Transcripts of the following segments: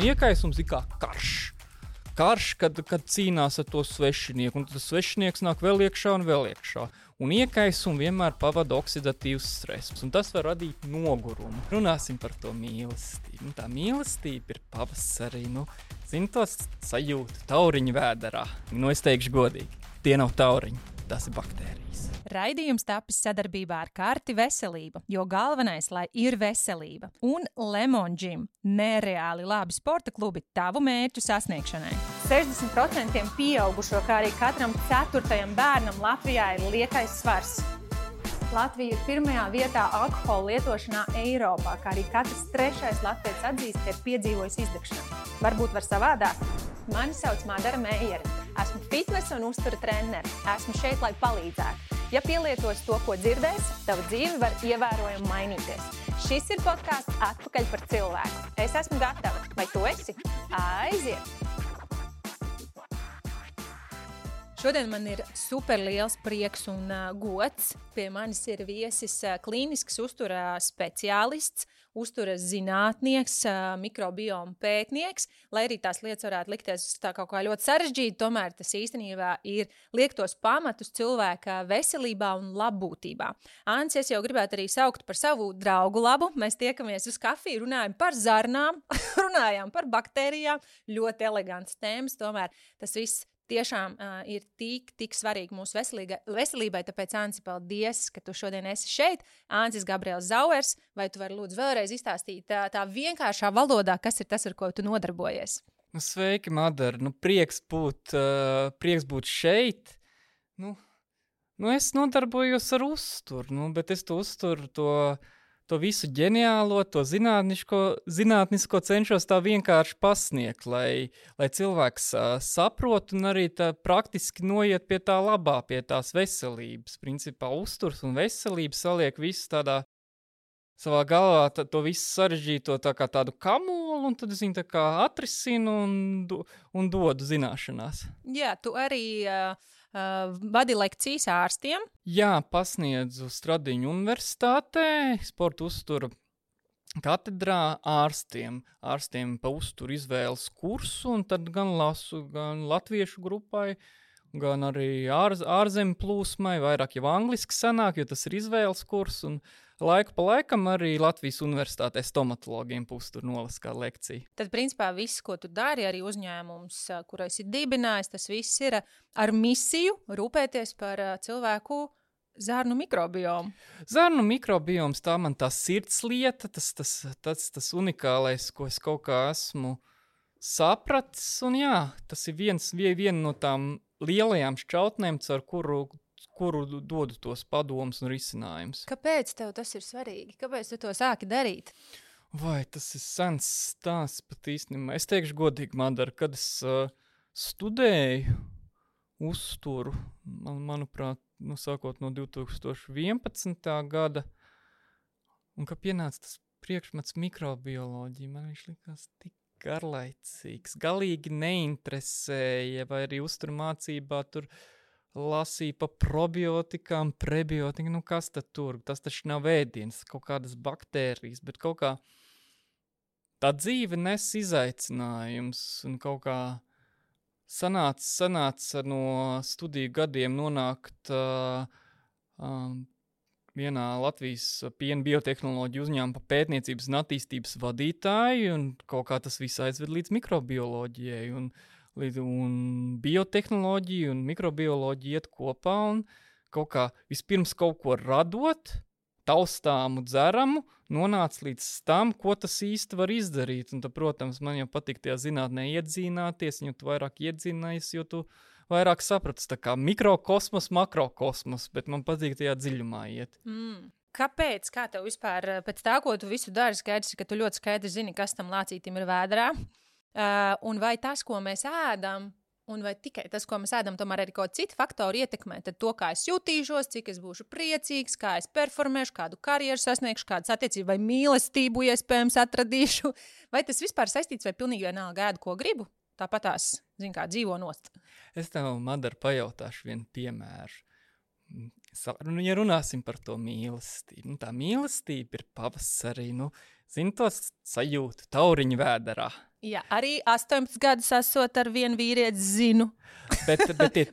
Iekaisums ir kā karš. Karš, kad cīnās ar to svešinieku, un tas svešinieks nāk vēl iekšā un vēl iekšā. Un iekaisumu vienmēr pavada oksidatīvs stress, un tas var radīt nogurumu. Runāsim par to mīlestību. Tā mīlestība ir pavasarī, zini tos sajūtu tauriņu vēderā. Es teikšu godīgi, tie nav tauriņi, tas ir baktērijas. Raidījums tapis sadarbībā ar Karti Veselība, jo galvenais, lai ir veselība. Un Lemon Gym – nereāli labi sporta klubi tavu mērķu sasniegšanai. 60% pieaugušo, kā arī katram 4. bērnam Latvijā ir liekais svars. Latvija ir 1. vietā alkohola lietošanā Eiropā, kā arī katrs 3. latvietis atzīst, ka ir piedzīvojis izdegšanu. Varbūt var savādāk? Mani sauc Madara Meijere. Esmu fitnesa un uztura trenere. Esmu šeit, lai palīdzētu. Ja pielietos to, ko dzirdēsi, tava dzīve var ievērojami mainīties. Šis ir podcasts Atpakaļ par cilvēku. Es esmu gatava. Vai tu esi? Aiziet! Šodien man ir super liels prieks un gods. Pie manis ir viesis klīnisks uztura speciālists, uzturas zinātnieks, mikrobioma pētnieks. Lai arī tās lietas varētu likties tā kaut kā ļoti sarežģīti, tomēr tas īstenībā liek tos pamatus cilvēka veselībā un labbūtībā. Ants, es jau gribētu arī saukt par savu draugu labu. Mēs tiekamies uz kafiju, runājam par zarnām, runājām par baktērijām. Ļoti elegants tēmas, tomēr tas viss tiešām ir tik svarīgi mūsu veselībai, tāpēc, Anci, paldies, ka tu šodien esi šeit. Ancis Gabriels Zauers, vai tu vari lūdzu vēlreiz izstāstīt tā vienkāršā valodā, kas ir tas, ar ko tu nodarbojies? Sveiki, Madara. Prieks būt šeit. Es nodarbojos ar uzturu, bet es to uzturu to visu ģeniālo, to zinātnisko cenšos tā vienkārši pasniegt, lai cilvēks saprot un arī tā praktiski noiet pie tā labā, pie tās veselības. Principā uzturs un veselība saliek visu tādā savā galvā, to visu sarežģīto tā kā tādu kamolu, un tad es viņu tā kā atrisinu un dodu zināšanās. Jā, tu arī vadi lekcijas ārstiem. Jā, pasniedzu Stradiņu universitātē, sporta uztura katedrā ārstiem pa uzturu izvēles kursu, un tad gan lasu gan latviešu grupai, gan arī ārzemju plūsmai, vairāk jau angliski sanāk, jo tas ir izvēles kurs, un laiku pa laikam arī Latvijas universitātē stomatologiem pa uzturu nolasu kā lekciju. Tad, principā, viss, ko tu dari, arī uzņēmums, kur esi dibinājis, tas viss ir ar misiju rūpēties par cilvēku zarnu mikrobiomu. Zarnu mikrobioms, tā man tā sirdslieta, tas unikālais, ko es kaut kā esmu sapratis, un jā, tas ir viena no tām lielajām šķautnēm, ar kuru dodu tos padomus un risinājumus. Kāpēc tev tas ir svarīgi? Kāpēc tu to sāki darīt? Vai tas ir sens stāsts pat īstenībā? Es teikšu godīgi, Madara, kad es studēju uzturu, manuprāt, sākot no 2011. gada, un kad pienāca tas priekšmets mikrobioloģija, man viņš likās tik garlaicīgs, galīgi neinteresēja, vai arī uzturu mācībā tur lasīja pa probiotikām, prebiotikām, kas tad tur? Tas taču nav ēdiens, kaut kādas baktērijas, bet kaut kā tā dzīve nes izaicinājums, un kaut kā sanāca no studiju gadiem nonākt vienā Latvijas piena biotehnoloģiju uzņēmuma pētniecības un attīstības vadītāju, un kaut kā tas viss aizved līdz mikrobioloģijai, un biotehnoloģija un mikrobioloģija iet kopā, un kaut kā vispirms kaut ko radot, taustāmu, dzeramu, nonāca līdz tam, ko tas īsti var izdarīt. Un tad, protams, man jau patīk tajā zinātnē iedzināties, jo tu vairāk iedzinājies, jo tu vairāk sapratis, tā kā mikrokosmos, makrokosmos, bet man patīk tajā dziļumā iet. Kāpēc? Kā tev vispār, pēc tā, ko tu visu dari, skaidrs, ka tu ļoti skaidri zini, kas tam lācītim ir vēderā, un vai tas, ko mēs ēdam, un vai tikai tas, ko mēs ēdam, tomēr arī kaut citi faktori ietekmē, tad to, kā es jutīšos, cik es būšu priecīgs, kā es performēšu, kādu karjeru sasniegšu, kādas attiecības vai mīlestību iespējams atradīšu, vai tas vispār saistīts vai pilnīgi vienalga ēdu, ko gribu? Tāpatās, kā dzīvo nost. Es tev, Madara, pajautāšu vienu piemēru. Ja runāsim par to mīlestību, tā mīlestība ir pavasarī, zini to sajūtu tauriņu vēderā. Jā, arī 18 gadus esot ar vienu vīrieti zinu. Bet tie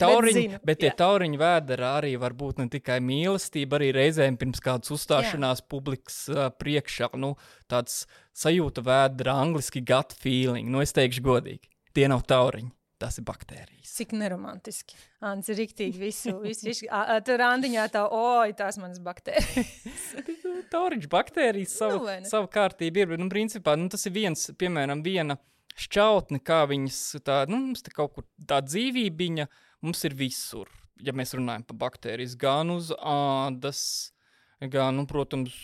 tauriņu vēderā arī var būt ne tikai mīlestība, arī reizēm pirms kādas uzstāšanās publikas priekšā, tāds sajūta vēdera, angliski gut feeling, es teikšu godīgi, tie nav tauriņi. Tas ir baktērijas. Cik neromantiski. Ants ir riktīgi visu. Tur randiņā tās manas baktērijas. Tauriņš baktērijas savu kārtību ir. Principā, tas ir viena šķautne, kā viņas mums te kaut kur tā dzīvībiņa, mums ir visur. Ja mēs runājam par baktērijas, gan uz ādas, gan, protams,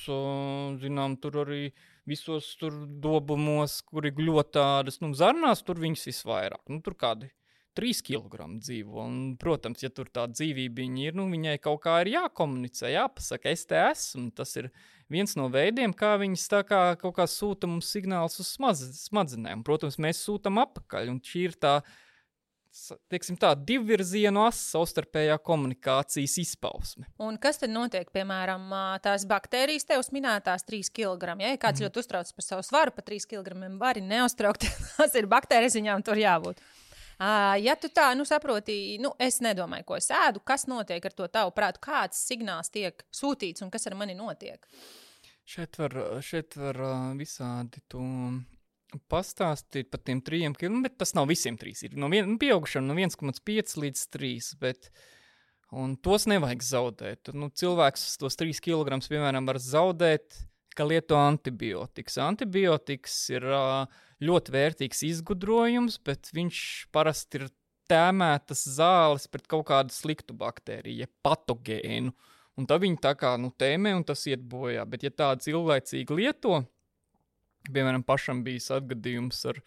zinām, tur arī visos tur dobumos, kuri gļotādas, zarnās tur viņas visvairāk. Tur kādi 3 kilogramu dzīvo. Un, protams, ja tur tā dzīvībiņa ir, viņai kaut kā ir jākomunicē, jāpasaka, es te esmu. Tas ir viens no veidiem, kā viņas tā kā kaut kā sūta mums signāls uz smadzenēm. Protams, mēs sūtam apakaļ, un šī ir tā, teiksim tā, divvirzienu savstarpējā komunikācijas izpausme. Un kas tad notiek, piemēram, tās baktērijas tev minētās 3 kg? Ja kāds ļoti uztrauc par savu svaru, pa 3 kg vari neuztraukt, tas ir baktērijas, viņām tur jābūt. Ja tu tā, saproti, es nedomāju, ko es ēdu, kas notiek ar to tavu prātu, kāds signāls tiek sūtīts un kas ar mani notiek? Šeit var visādi tu pastāstīt par tiem 3 kg, bet tas nav visiem 3. Ir pieaugušiem no 1,5 līdz 3, un tos nevajag zaudēt. Cilvēks tos 3 kg, piemēram, var zaudēt, ka lieto antibiotikas. Antibiotikas ir ļoti vērtīgs izgudrojums, bet viņš parasti ir tēmētas zāles pret kaut kādu sliktu baktēriju, patogēnu. Un tad viņi tā kā tēmē, un tas iet bojā. Bet ja tāds ilglaicīgi lieto, piemēram, pašam bijis atgadījums ar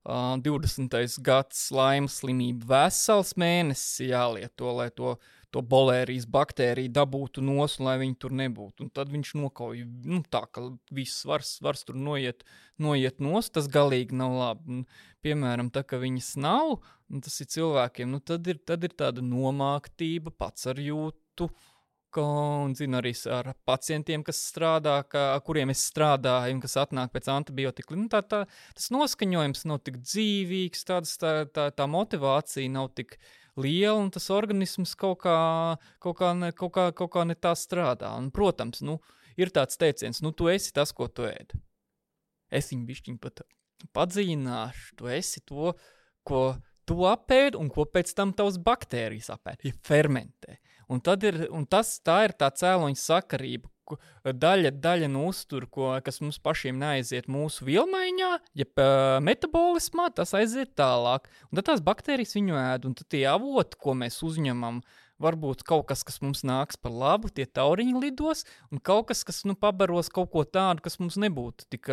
20. gads laimas slimību, vesels mēnesis jālieto, lai to bolērijas baktēriju dabūtu nos, lai viņi tur nebūtu. Un tad viņš nokauj, tā, ka viss svars tur noiet nos, tas galīgi nav labi. Un, piemēram, tā, ka viņas nav, un tas ir cilvēkiem, tad ir tāda nomāktība, pats ar jūtu, un zinu arī ar pacientiem, kas strādā, kuriem es strādāju un kas atnāk pēc antibiotika. Tas noskaņojums nav tik dzīvīgs, tā motivācija nav tik liela, un tas organisms kaut kā ne tā strādā. Un, protams, ir tāds teiciens, tu esi tas, ko tu ēd. Es viņu bišķiņ pat padziļināšu, tu esi to, ko tu apēd un ko pēc tam tavs baktērijas apēd, ja fermentē. Un tā ir tā cēloņa sakarība, daļa no uztura, kas mums pašiem neaiziet mūsu vielmaiņā, ja metabolismā, tas aiziet tālāk. Un tad tās baktērijas viņu ēd, un tad tie avoti, ko mēs uzņemam, varbūt kaut kas mums nāks par labu, tie tauriņi lidos, un kaut kas pabaros kaut ko tādu, kas mums nebūtu tik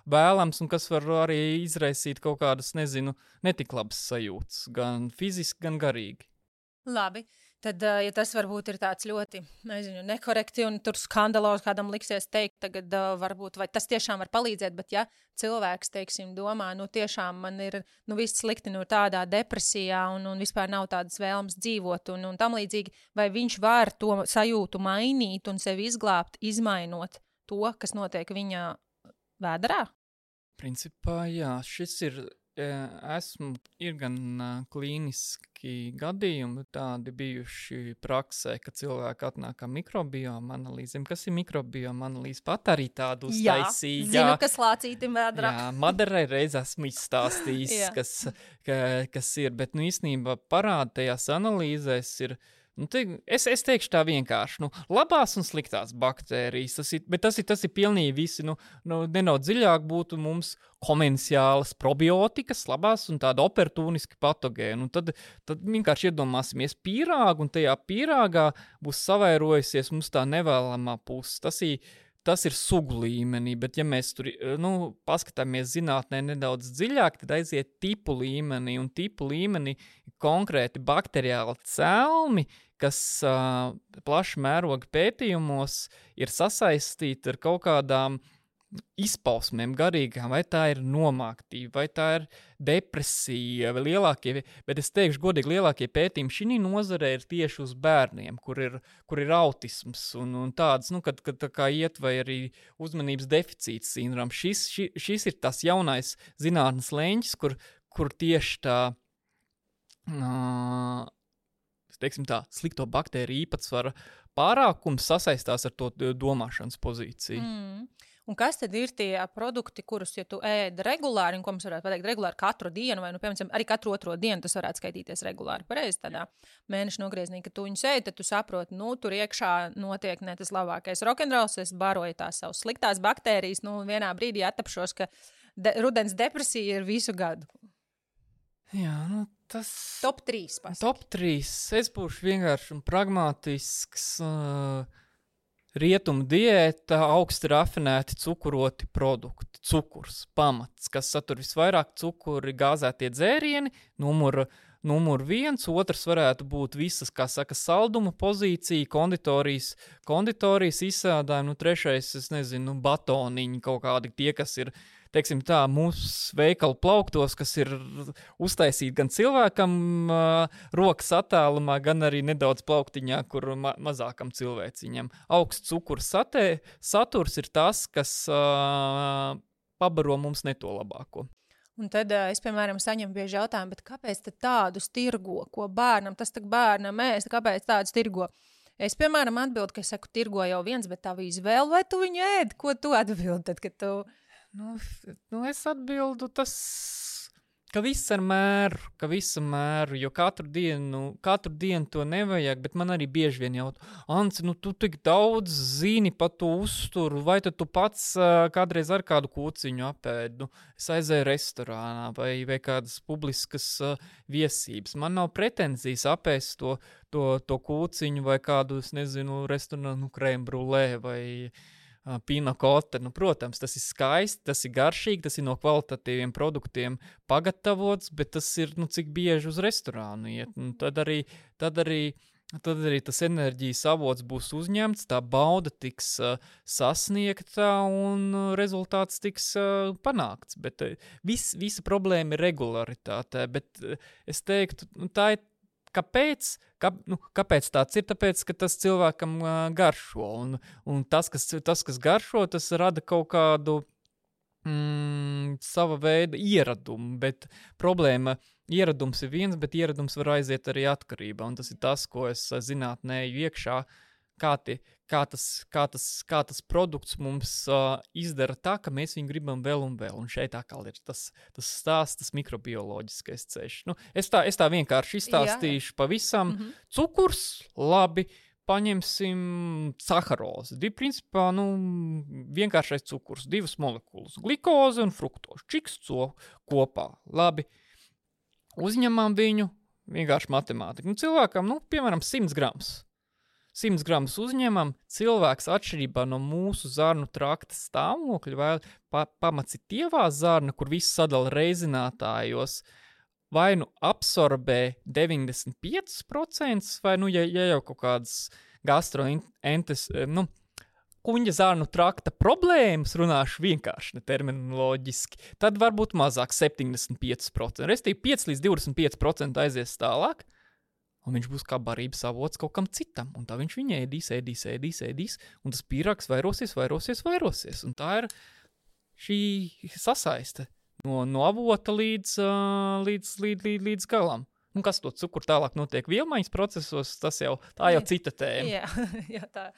vēlams, un kas var arī izraisīt kaut kādas, netik labas sajūtas, gan fiziski, gan garīgi. Labi. Tad, ja tas varbūt ir tāds ļoti, nekorekti un tur skandalos kādam liksies teikt, tagad varbūt, vai tas tiešām var palīdzēt, bet ja cilvēks, teiksim, domā, tiešām man ir, viss slikti, tādā depresijā un vispār nav tādas vēlmes dzīvot un tam līdzīgi, vai viņš var to sajūtu mainīt un sevi izglābt, izmainot to, kas notiek viņa vēderā? Principā, jā, šis ir gan klīniski gadījumi tādi bijuši praksē, ka cilvēki atnāk kā mikrobioma analīzēm. Kas ir mikrobioma analīze? Pat arī tādu uztaisīja. Jā, zinu, kas lācītim vēdrā. Jā, Madarai reiz esmu izstāstījis, kas ir, bet īstenībā parāda tajās analīzēs ir, es teikšu tā vienkārši, labās un sliktās baktērijas, tas ir pilnīgi visi, nedaudz dziļāk būtu mums komensiālas probiotikas, labās un tāda oportuniski patogēni. Tad vienkārši iedomāsimies pīrāgu, un tajā pīrāgā būs savairojusies mums tā nevēlamā puse. Tas ir sugu līmenī, bet ja mēs tur paskatāmies zinātnē nedaudz dziļāk, tad aiziet tipu līmenī, un tipu līmenī konkrēti bakteriāli celmi, kas plaša mēroga pētījumos ir sasaistīti ar kaut kādām izpausmēm garīgām, vai tā ir nomāktība, vai tā ir depresija, vai lielākie, bet es teikšu godīgi, lielākie pētījumi šī nozarē ir tieši uz bērniem, kur ir autisms un tāds, kad tā kā iet vai arī uzmanības deficīts sindroms. Šis ir tas jaunais zinātnes leņķis, kur tieši tā, teiksim tā, slikto baktēriju īpatsvara pārākums sasaistās ar to domāšanas pozīciju. Un kas tad ir tie produkti, kurus, ja tu ēd regulāri, un ko mums varētu pateikt regulāri katru dienu, vai, piemēram, arī katru otro dienu tas varētu skaitīties regulāri pareizi tādā mēneša nogrieznī, ka tu viņus ēd, tad tu saproti, tur iekšā notiek ne tas labākais rokenrols, es baroju tās savas sliktās baktērijas, vienā brīdī attapšos, ka rudens depresija ir visu gadu. Jā, tas... Top 3 pasaka. Top 3. Es būšu vienkārši un pragmatisks... Rietumu diēta, augsti rafinēti cukuroti produkti, cukurs, pamats, kas satur visvairāk cukuri, gāzētie dzērieni, numur 1, otrs varētu būt visas, kā saka, salduma pozīcija, konditorijas izsādājumi, trešais, es nezinu, batoniņi kaut kādi tie, kas ir, teiksim tā, mūsu veikalu plauktos, kas ir uztaisīti gan cilvēkam rokas attālumā, gan arī nedaudz plauktiņā, kur mazākam cilvēciņam. Augsts cukurs saturs ir tas, kas pabaro mums ne to labāko. Un tad es, piemēram, saņemu bieži jautājumu, bet kāpēc tad tādus tirgo, ko bērnam, tas tak bērnam ēst, kāpēc tādus tirgo? Es, piemēram, atbildu, ka es saku, tirgo jau viens, bet tā izvēle, vai tu viņu ēd? Ko tu atbildi tad, kad tu... Es atbildu tas, ka viss ar mēru, jo katru dienu to nevajag, bet man arī bieži vien jautā, Anci, tu tik daudz zini par to uzturu, vai tad tu pats kādreiz ar kādu kūciņu apēd, es aizēju restorānā vai kādas publiskas viesības. Man nav pretenzijas apēst to kūciņu vai kādu, es nezinu, restorānu krème brûlée vai... Pina kote, protams, tas ir skaisti, tas ir garšīgi, tas ir no kvalitatīviem produktiem pagatavots, bet tas ir, cik bieži uz restorānu iet. Tad arī tas enerģijas avots būs uzņemts, tā bauda tiks sasniegta un rezultāts tiks panākts. Bet visa problēma ir regularitāte, bet es teiktu, tā ir Kāpēc tāds ir? Tāpēc, ka tas cilvēkam garšo, un tas, kas garšo, tas rada kaut kādu sava veida ieradumu, bet problēma ieradums ir viens, bet ieradums var aiziet arī atkarībā, un tas ir tas, ko es zinātnēju iekšā, kā tas produkts mums izdara tā, ka mēs viņu gribam vēl un vēl, un šeit atkal ir tas stāsts, tas mikrobioloģiskais ceļš. Es tā vienkārši izstāstīšu pavisam. Cukurs, labi, paņemsim saharozi. Principā, vienkāršais cukurs, 2 molekulas, glikoze un fruktoze, čiks kopā, labi. Uzņemam viņu, vienkārši matemātika. Cilvēkam, piemēram, 100 grams. 100 gramus uzņemam, cilvēks atšķirībā no mūsu zarnu trakta stāvokļa, vai pamats ir tievā zarna, kur viss sadala reizinātājos, vai absorbē 95%, vai, ja jau kaut kādas gastroentes, kuņģa zarnu trakta problēmas, runāšu vienkārši, ne terminoloģiski, tad varbūt mazāk 75%, restīvi 5 līdz 25% aizies tālāk, un viņš būs kā barības avots kaut kam citam, un tā viņš viņu ēdīs, un tas pīrāgs vairosies, un tā ir šī sasaiste no avota līdz galam. Un kas to cukuru tālāk notiek vielmaiņas procesos, tā jau cita tēma. Jā, tā.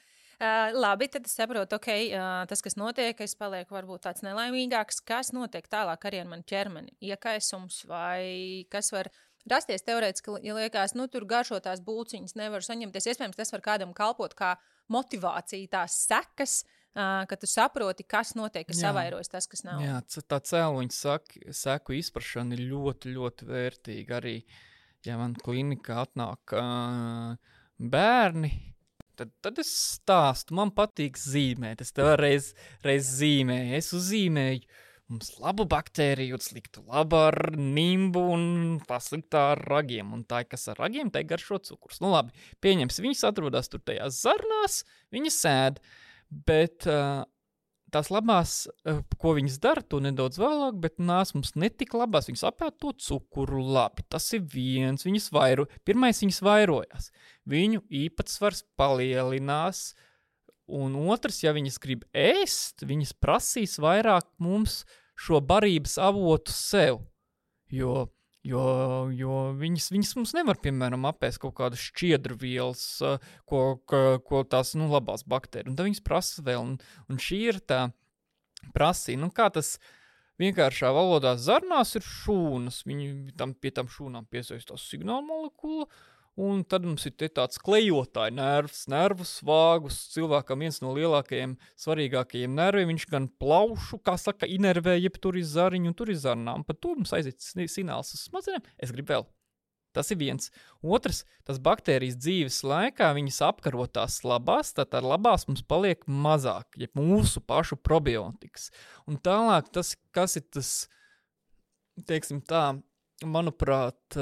Labi, tad es saprotu, tas, kas notiek, es palieku varbūt tāds nelaimīgāks, kas notiek tālāk arī ar manu ķermeni, iekaisums vai kas var rasties teorētiski, ja liekas, tur garšo tās bulciņas nevar saņemties. Iespējams, tas var kādam kalpot kā motivācija, tās sekas, ka tu saproti, kas notiek, ka savairojas tas, kas nav. Jā, tā cēloņa seku izprašana ir ļoti, ļoti vērtīga. Arī, ja man klinikā atnāk bērni, tad es stāstu, man patīk zīmēt. Es tev reiz zīmēju, es uzzīmēju. Mums labu baktēriju, sliktu labu ar nimbu un pasliktā ar ragiem. Un tā, kas ar ragiem, tai garšo cukurs. Labi, pieņems, viņas atrodas tur tajās zarnās, viņas ēd. Bet tās labās, ko viņas dara, to nedaudz vēlāk, bet nās mums netik labās. Viņas apēd to cukuru labi. Tas ir viens. Pirmais viņas vairojās. Viņu īpatsvars palielinās. Un otrs, ja viņas grib ēst, viņas prasīs vairāk mums šo barības avotu sev. Jo viņas mums nevar, piemēram, apēst kaut kādas šķiedrvielas, ko tās, labās baktērijas. Un tad viņas prasa vēl. Un šī ir tā prasība. Kā tas vienkāršā valodā zarnās ir šūnas. Viņi pie tam šūnām piesaistās signāla molekula. Un tad mums ir tāds klejotāji nervus vāgus. Cilvēkam viens no lielākajiem, svarīgākajiem nerviem, viņš gan plaušu, kā saka, inervē, jeb tur ir zariņu, un tur ir zarnām. Pat tur mums aiziet signāls uz smadzenēm. Es gribu vēl. Tas ir viens. Otrs, tas baktērijas dzīves laikā, viņas apkaro tās labās, tad labās mums paliek mazāk, jeb mūsu pašu probiotikas. Un tālāk tas, kas ir tas, teiksim tā, manuprāt,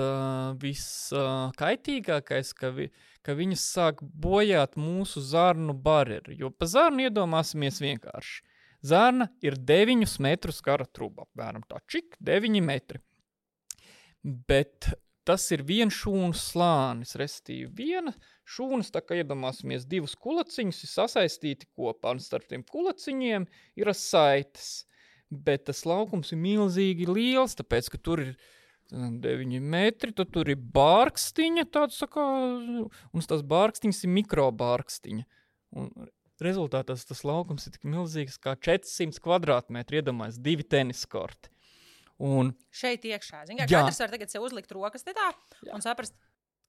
viskaitīgākais, ka viņas sāk bojāt mūsu zarnu barjeri. Jo pa zarnu iedomāsimies vienkārši. Zarna ir 9 metrus gara truba, apmēram tā 9 metri. Bet tas ir viens šūnas slānis, restīvi viena šūnas, tā kā iedomāsimies 2 kulaciņus, ir sasaistīti kopā, un starp tiem kulaciņiem ir saites. Bet tas laukums ir milzīgi liels, tāpēc, ka tur ir 9 metri, tad tur ir bārkstiņa, tāds sakā, un tas bārkstiņas ir mikrobārkstiņa. Un rezultātā tas laukums ir tik milzīgs kā 400 kvadrātmetri, iedomājas 2 teniskorti. Un šeit iekšā. Katrs var tagad sev uzlikt rokas te tā un saprast,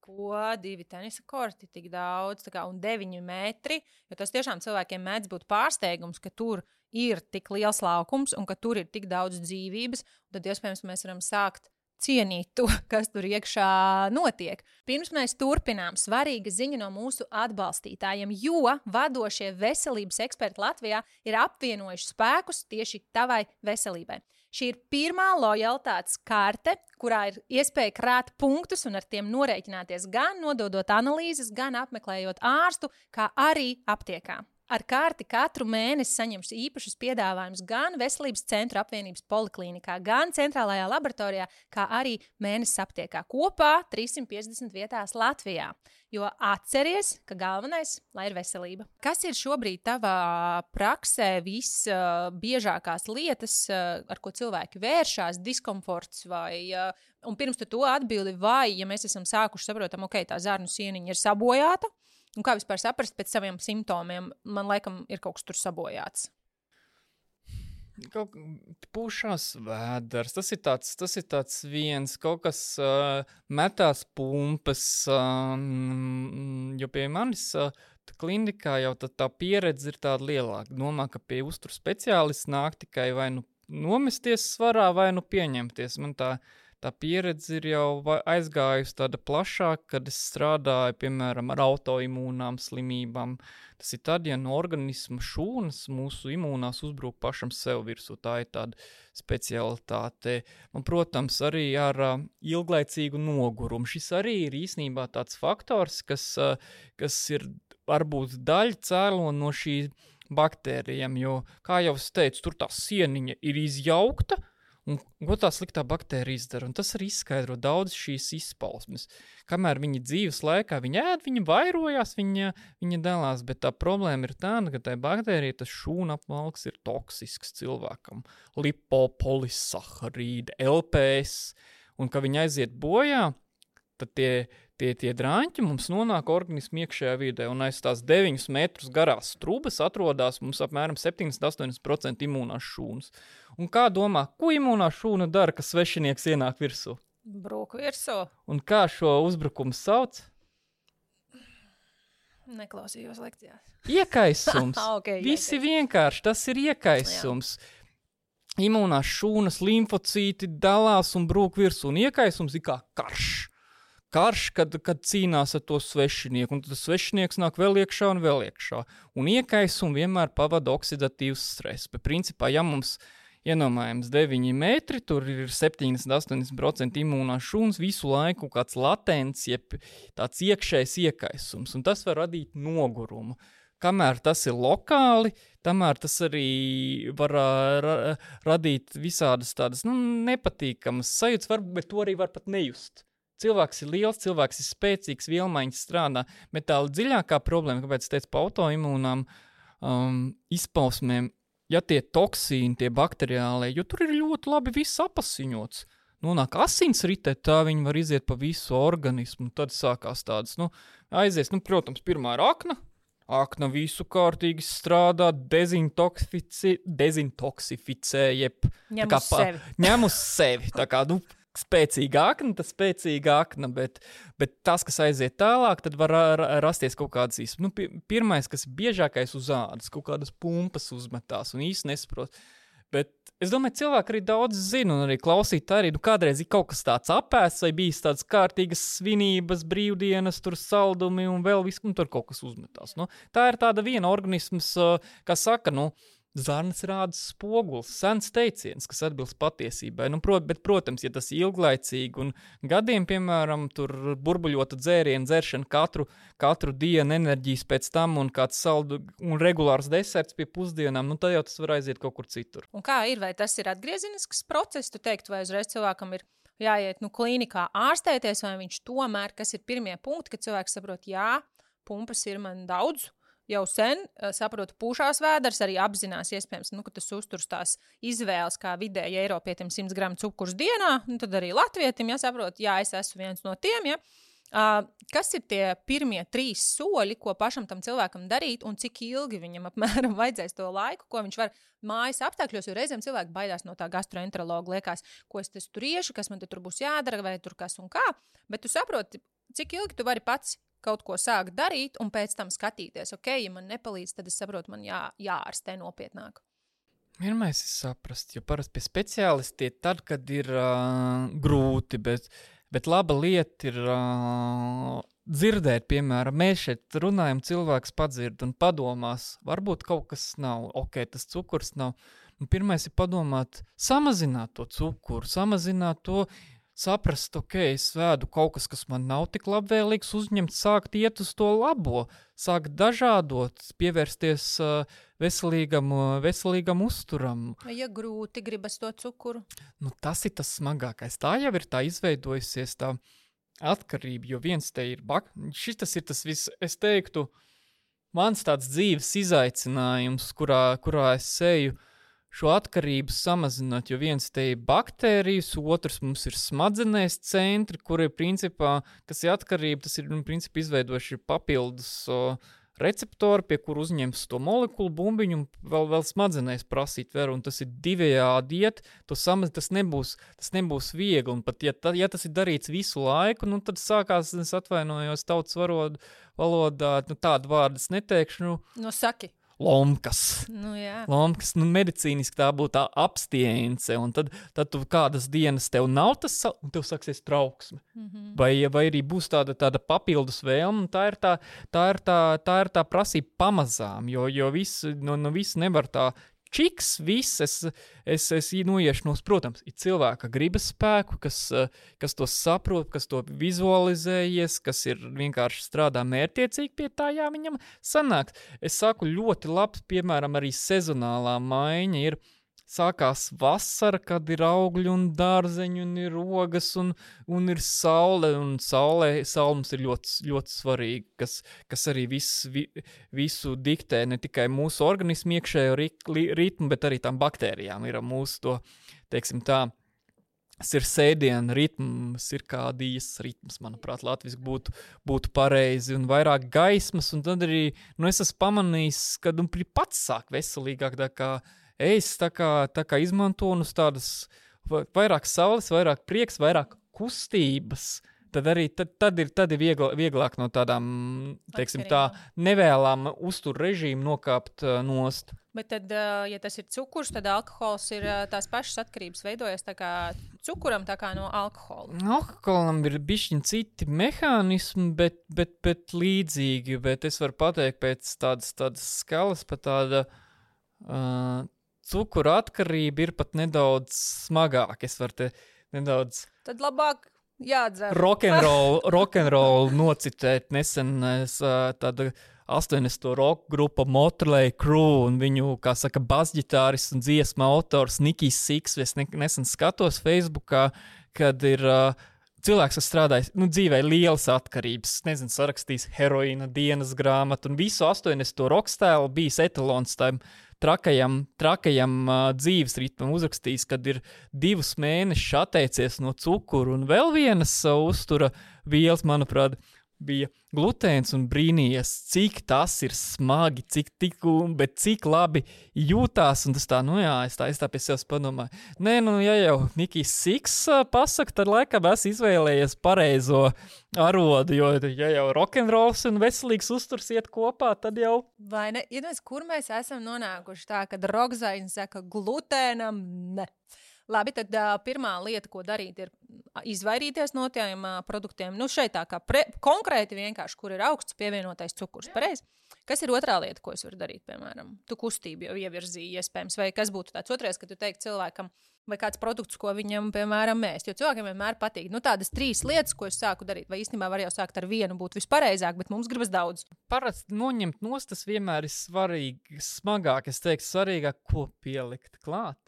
ko 2 tenisa korti tik daudz, un 9 metri, jo tas tiešām cilvēkiem mēdz būt pārsteigums, ka tur ir tik liels laukums un ka tur ir tik daudz dzīvības, un tad iespējams mēs varam sākt cienīt to, kas tur iekšā notiek. Pirms mēs turpinām, svarīga ziņa no mūsu atbalstītājiem, jo vadošie veselības eksperti Latvijā ir apvienojuši spēkus tieši tavai veselībai. Šī ir pirmā lojalitātes karte, kurā ir iespēja krāt punktus un ar tiem norēķināties gan nododot analīzes, gan apmeklējot ārstu, kā arī aptiekā. Ar karti katru mēnesi saņems īpašus piedāvājumus gan Veselības centra apvienības poliklīnikā, gan centrālajā laboratorijā, kā arī mēnesis aptiekā. Kopā 350 vietās Latvijā. Jo atceries, ka galvenais, lai ir veselība. Kas ir šobrīd tavā praksē visbiežākās lietas, ar ko cilvēki vēršās, diskomforts vai... Un pirms tu to atbildi, vai, ja mēs esam sākuši saprotam, ok, tā zarnu sieniņa ir sabojāta, un kā vispār saprast pēc saviem simptomiem, man laikam ir kaut kas tur sabojāts. Pūšās vēders, tas ir tāds viens, kaut kas metās pumpas, jo pie manis klinikā jau tā pieredze ir tāda lielāka. Domā, ka pie uzturu speciālists nāk tikai vai nu nomesties svarā, vai nu pieņemties. Man tā pieredze ir jau aizgājusi tāda plašāk, kad es strādāju, piemēram, ar autoimūnām slimībām. Tas ir tad, ja no organisma šūnas mūsu imūnās uzbrūk pašam sev virsū. Tā ir tāda specialitāte. Man, protams, arī ar ilglaicīgu nogurumu. Šis arī ir īstenībā tāds faktors, kas ir varbūt daļa cēlona no šī baktērijām, jo, kā jau es teicu, tur tā sieniņa ir izjaukta, un ko tā sliktā baktērija izdara, un tas arī izskaidro daudz šīs izpausmes. Kamēr viņa dzīves laikā viņa ēd, viņa vairojās, viņa dalās, bet tā problēma ir tāda, ka tai baktērija tas šūna apvalks ir toksisks cilvēkam. Lipopolissaharīdi, LPS, un ka viņa aiziet bojā, tad tie drāņķi mums nonāk organismu iekšējā vidē, un aiz tās 9 metrus garās trubas atrodās mums apmēram 70-80% imūnās šūnas. Un kā domā, ko imūnā šūna dara, ka svešinieks ienāk virsū? Brūk virsū. Un kā šo uzbrukumu sauc? Neklausījos lekcijās. Iekaisums. Okay, Visi vienkārši, tas ir iekaisums. Jā. Imūnās šūnas, limfocīti dalās un brūk virsū, un iekaisums ir kā karš. Karš, kad cīnās ar to svešinieku, un tad tas svešinieks nāk vēl iekšā un vēl iekšā. Un iekaisumu vienmēr pavada oksidatīvs stress. Bet principā, ja mums ienomājams 9 metri, tur ir 70-80% imūnās šūnas, visu laiku kāds latents, jeb tāds iekšējs iekaisums, un tas var radīt nogurumu. kamēr tas ir lokāli, tamēr tas arī var radīt visādas tādas nepatīkamas sajūtas, bet to arī var pat nejust. Cilvēks ir liels, cilvēks ir spēcīgs, vielmaiņas strādā, bet tā dziļākā problēma, kāpēc es teicu pa autoimūnām izpausmēm, ja tie toksīni, tie bakteriālie, jo tur ir ļoti labi viss apasiņots. Nonāk asinsritē, tā viņi var iziet pa visu organismu, tad sākās tādas, aizies, protams, pirmā ir akna visu kārtīgi strādā, dezintoksificē, jeb ņem uz sevi, tā kā, spēcīga akna, bet tas, kas aiziet tālāk, tad var rasties kaut kādas īsti. Pirmais, kas ir biežākais uz ādas, kaut kādas pumpas uzmetās un īsti nesaprot. Bet es domāju, cilvēki arī daudz zina un arī klausīt arī, kādreiz ir kaut kas tāds apēsts vai bijis tāds kārtīgas svinības, brīvdienas, tur saldumi un vēl viss, tur kaut kas uzmetās. Tā ir tāda viena organisms, kā saka, zarnas rāda spogulis, sens teiciens, kas atbilst patiesībai. Bet, protams, ja tas ir ilglaicīgi un gadiem, piemēram, tur burbuļota dzērienu dzeršana katru dienu enerģijas pēc tam un kāds saldu un regulārs deserts pie pusdienām, tad jau tas var aiziet kaut kur citur. Un kā ir, vai tas ir atgriezinisks process, tu teiktu, vai uzreiz cilvēkam ir jāiet klīnikā ārstēties, vai viņš tomēr, kas ir pirmie punkti, kad cilvēks saprot, jā, pumpas ir man daudz, jau sen, saprotu, pūšās vēders, arī apzinās iespējams, ka tas uzturs tās izvēles, kā vidēji Eiropietim 100 gramu cukurs dienā, tad arī latvietim, saprot, es esmu viens no tiem, Kas ir tie pirmie 3 soļi, ko pašam tam cilvēkam darīt, un cik ilgi viņam apmēram vajadzēs to laiku, ko viņš var mājas apstākļos, jo reizēm cilvēki baidās no tā gastroenterologa, liekas, ko es tur iešu, kas man tur būs jādara, vai tur kas un kā, bet tu saproti, cik ilgi tu vari pats kaut ko sākt darīt, un pēc tam skatīties, ja man nepalīdz, tad es saprotu, man jāārstē nopietnāk. Pirmais ir saprast, jo parasti pie speciālisti tad, kad ir grūti, bet laba lieta ir dzirdēt, piemēram, mēs šeit runājam, cilvēks padzird un padomās, varbūt kaut kas nav, tas cukurs nav. Pirmais ir padomāt, samazināt to cukuru, samazināt to, saprast, es vēdu kaut kas man nav tik labvēlīgs, uzņemt, sākt iet uz to labo, sākt dažādot, pievērsties veselīgam uzturam. Ja grūti gribas to cukuru? Tas ir tas smagākais. Tā jau ir tā izveidojusies tā atkarība, jo viens te ir, šitas ir tas viss, es teiktu, mans tāds dzīves izaicinājums, kurā es eju, šo atkarību samazināt, jo viens te ir baktērijas, otrs mums ir smadzenēs centri, kur ir principā, kas ir atkarība, tas ir principā izveidojuši papildus receptori, pie kur uzņems to molekulu bumbiņu un vēl smadzenēs prasīt veru, un tas ir divējādi iet, tas nebūs viegli, un pat ja tas ir darīts visu laiku, tad sākās, es atvainojos tautas valodā, tādu vārdu es neteikšu. Saki. Lomkas. Jā. Lomkas, medicīniski tā būtu tā abstience, un tad tu kādas dienas tev nav tas, un tev sāksies trauksme. Mm-hmm. Vai arī būs tāda papildus vēlme, un tā ir tā prasība pamazām, jo viss nevar tā čiks, viss, es noiešu protams, ir cilvēka gribas spēku, kas to saprot, kas to vizualizējies, kas ir vienkārši strādā mērķiecīgi pie tā, viņam sanāks. Es saku, ļoti labs, piemēram, arī sezonālā maiņa ir, sākās vasara, kad ir augļi un dārzeņi, un ir ogas, un ir saule, un saule mums ir ļoti, ļoti svarīga, kas arī visu diktē, ne tikai mūsu organismu iekšējo ritmu, bet arī tām baktērijām ir mūsu to, teiksim tā, sirdsēdiena ritms, cirkādijas ritms, manuprāt, latviski būtu pareizi, un vairāk gaismas, un tad arī, es esmu pamanījis, ka pats sāk veselīgāk, tā kā izmanto un uz tādas vairāk saules, vairāk prieks, vairāk kustības, tad ir vieglāk no tādām, teiksim tā, nevēlām uztur režīmu nokāpt nost. Bet tad, ja tas ir cukurs, tad alkohols ir tās pašas atkarības veidojas tā kā cukuram, tā kā no alkohola. Alkoholam ir bišķiņ citi mehānismi, bet līdzīgi, bet es varu pateikt pēc tādas skalas, pat tāda cukura atkarība ir pat nedaudz smagāk. Es varu te nedaudz... Tad labāk jādzer. Rock'n'roll nocitēt nesen tāda 80. rock grupa Motley Crue un viņu, kā saka, basģitāris un dziesma autors Nikijs Six. Es nesen skatos Facebookā, kad ir cilvēks, kas strādājis, dzīvē lielas atkarības. Nezinu, sarakstījis heroīna dienas grāmatu un visu 80. rock stēlu bijis etalons tam trakajam dzīves ritmam uzrakstījis, kad ir 2 mēnešus atteicies no cukuru un vēl vienas uztura vielas, manuprāt, bija glutēns un brīnījies, cik tas ir smagi, bet cik labi jūtās, un tas tā, es tā pie sevis padomāju. Nē, ja jau Nikijs Six pasaka, tad laikam es izvēlējies pareizo arodu, jo ja jau rokenrols un veselīgs uzturs iet kopā, tad jau... Vai ne? Iedomājies, kur mēs esam nonākuši tā, kad rokzaiņi saka glutēnam ne. Labi, tad pirmā lieta, ko darīt, ir izvairīties no tiem produktiem. Šeit tā kā konkrēti vienkārši, kur ir augsts pievienotais cukurs. Pareizi? Kas ir otrā lieta, ko es varu darīt, piemēram? Tu kustību jau ievirzīji iespējams, vai kas būtu tāds otrais, ka tu teiktu cilvēkam, vai kāds produkts, ko viņam, piemēram, mēst. Jo cilvēkiem vienmēr patīk. Tādas 3 lietas, ko es sāku darīt, vai īstenībā var jau sākt ar vienu, būtu vispareizāk, bet mums gribas daudz. Parasti noņemt nost, tas vienmēr ir svarīgi, smagāk. Es teiktu, svarīgāk, ko pielikt klāt.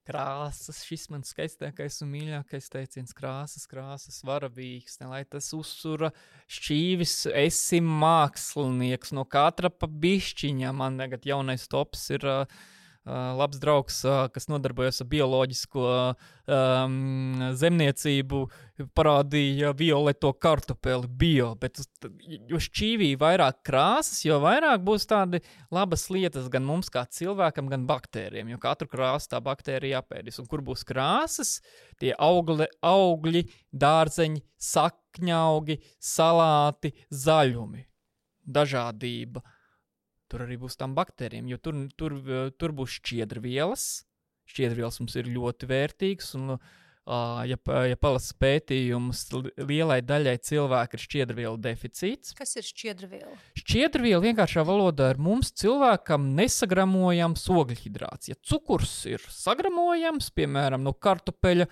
Krāsas, šis man skaistākais un mīļākais teiciens, krāsas, varavīgs, lai tas uzsura šķīvis, esi mākslinieks, no katra pa bišķiņa. Man tagad jaunais tops ir labs draugs, kas nodarbojas ar bioloģisko zemniecību, parādīja violeto kartupeli bio, bet jo šķīvī vairāk krāsas, jo vairāk būs tādi labas lietas gan mums kā cilvēkam, gan baktērijiem, jo katru krāsu tā baktērija apēdis. Un kur būs krāsas, tie augļi, dārzeņi, sakņaugi, salāti, zaļumi, dažādība. Tur arī būs tām baktērijiem, jo tur būs šķiedrvielas. Šķiedrvielas mums ir ļoti vērtīgas, un, ja palasa pētījumus, lielai daļai cilvēku ir šķiedrvielu deficīts. Kas ir šķiedrviela? Šķiedrviela vienkāršā valodā ir mums cilvēkam nesagramojams ogļhidrāts. Ja cukurs ir sagramojams, piemēram, no kartupeļa,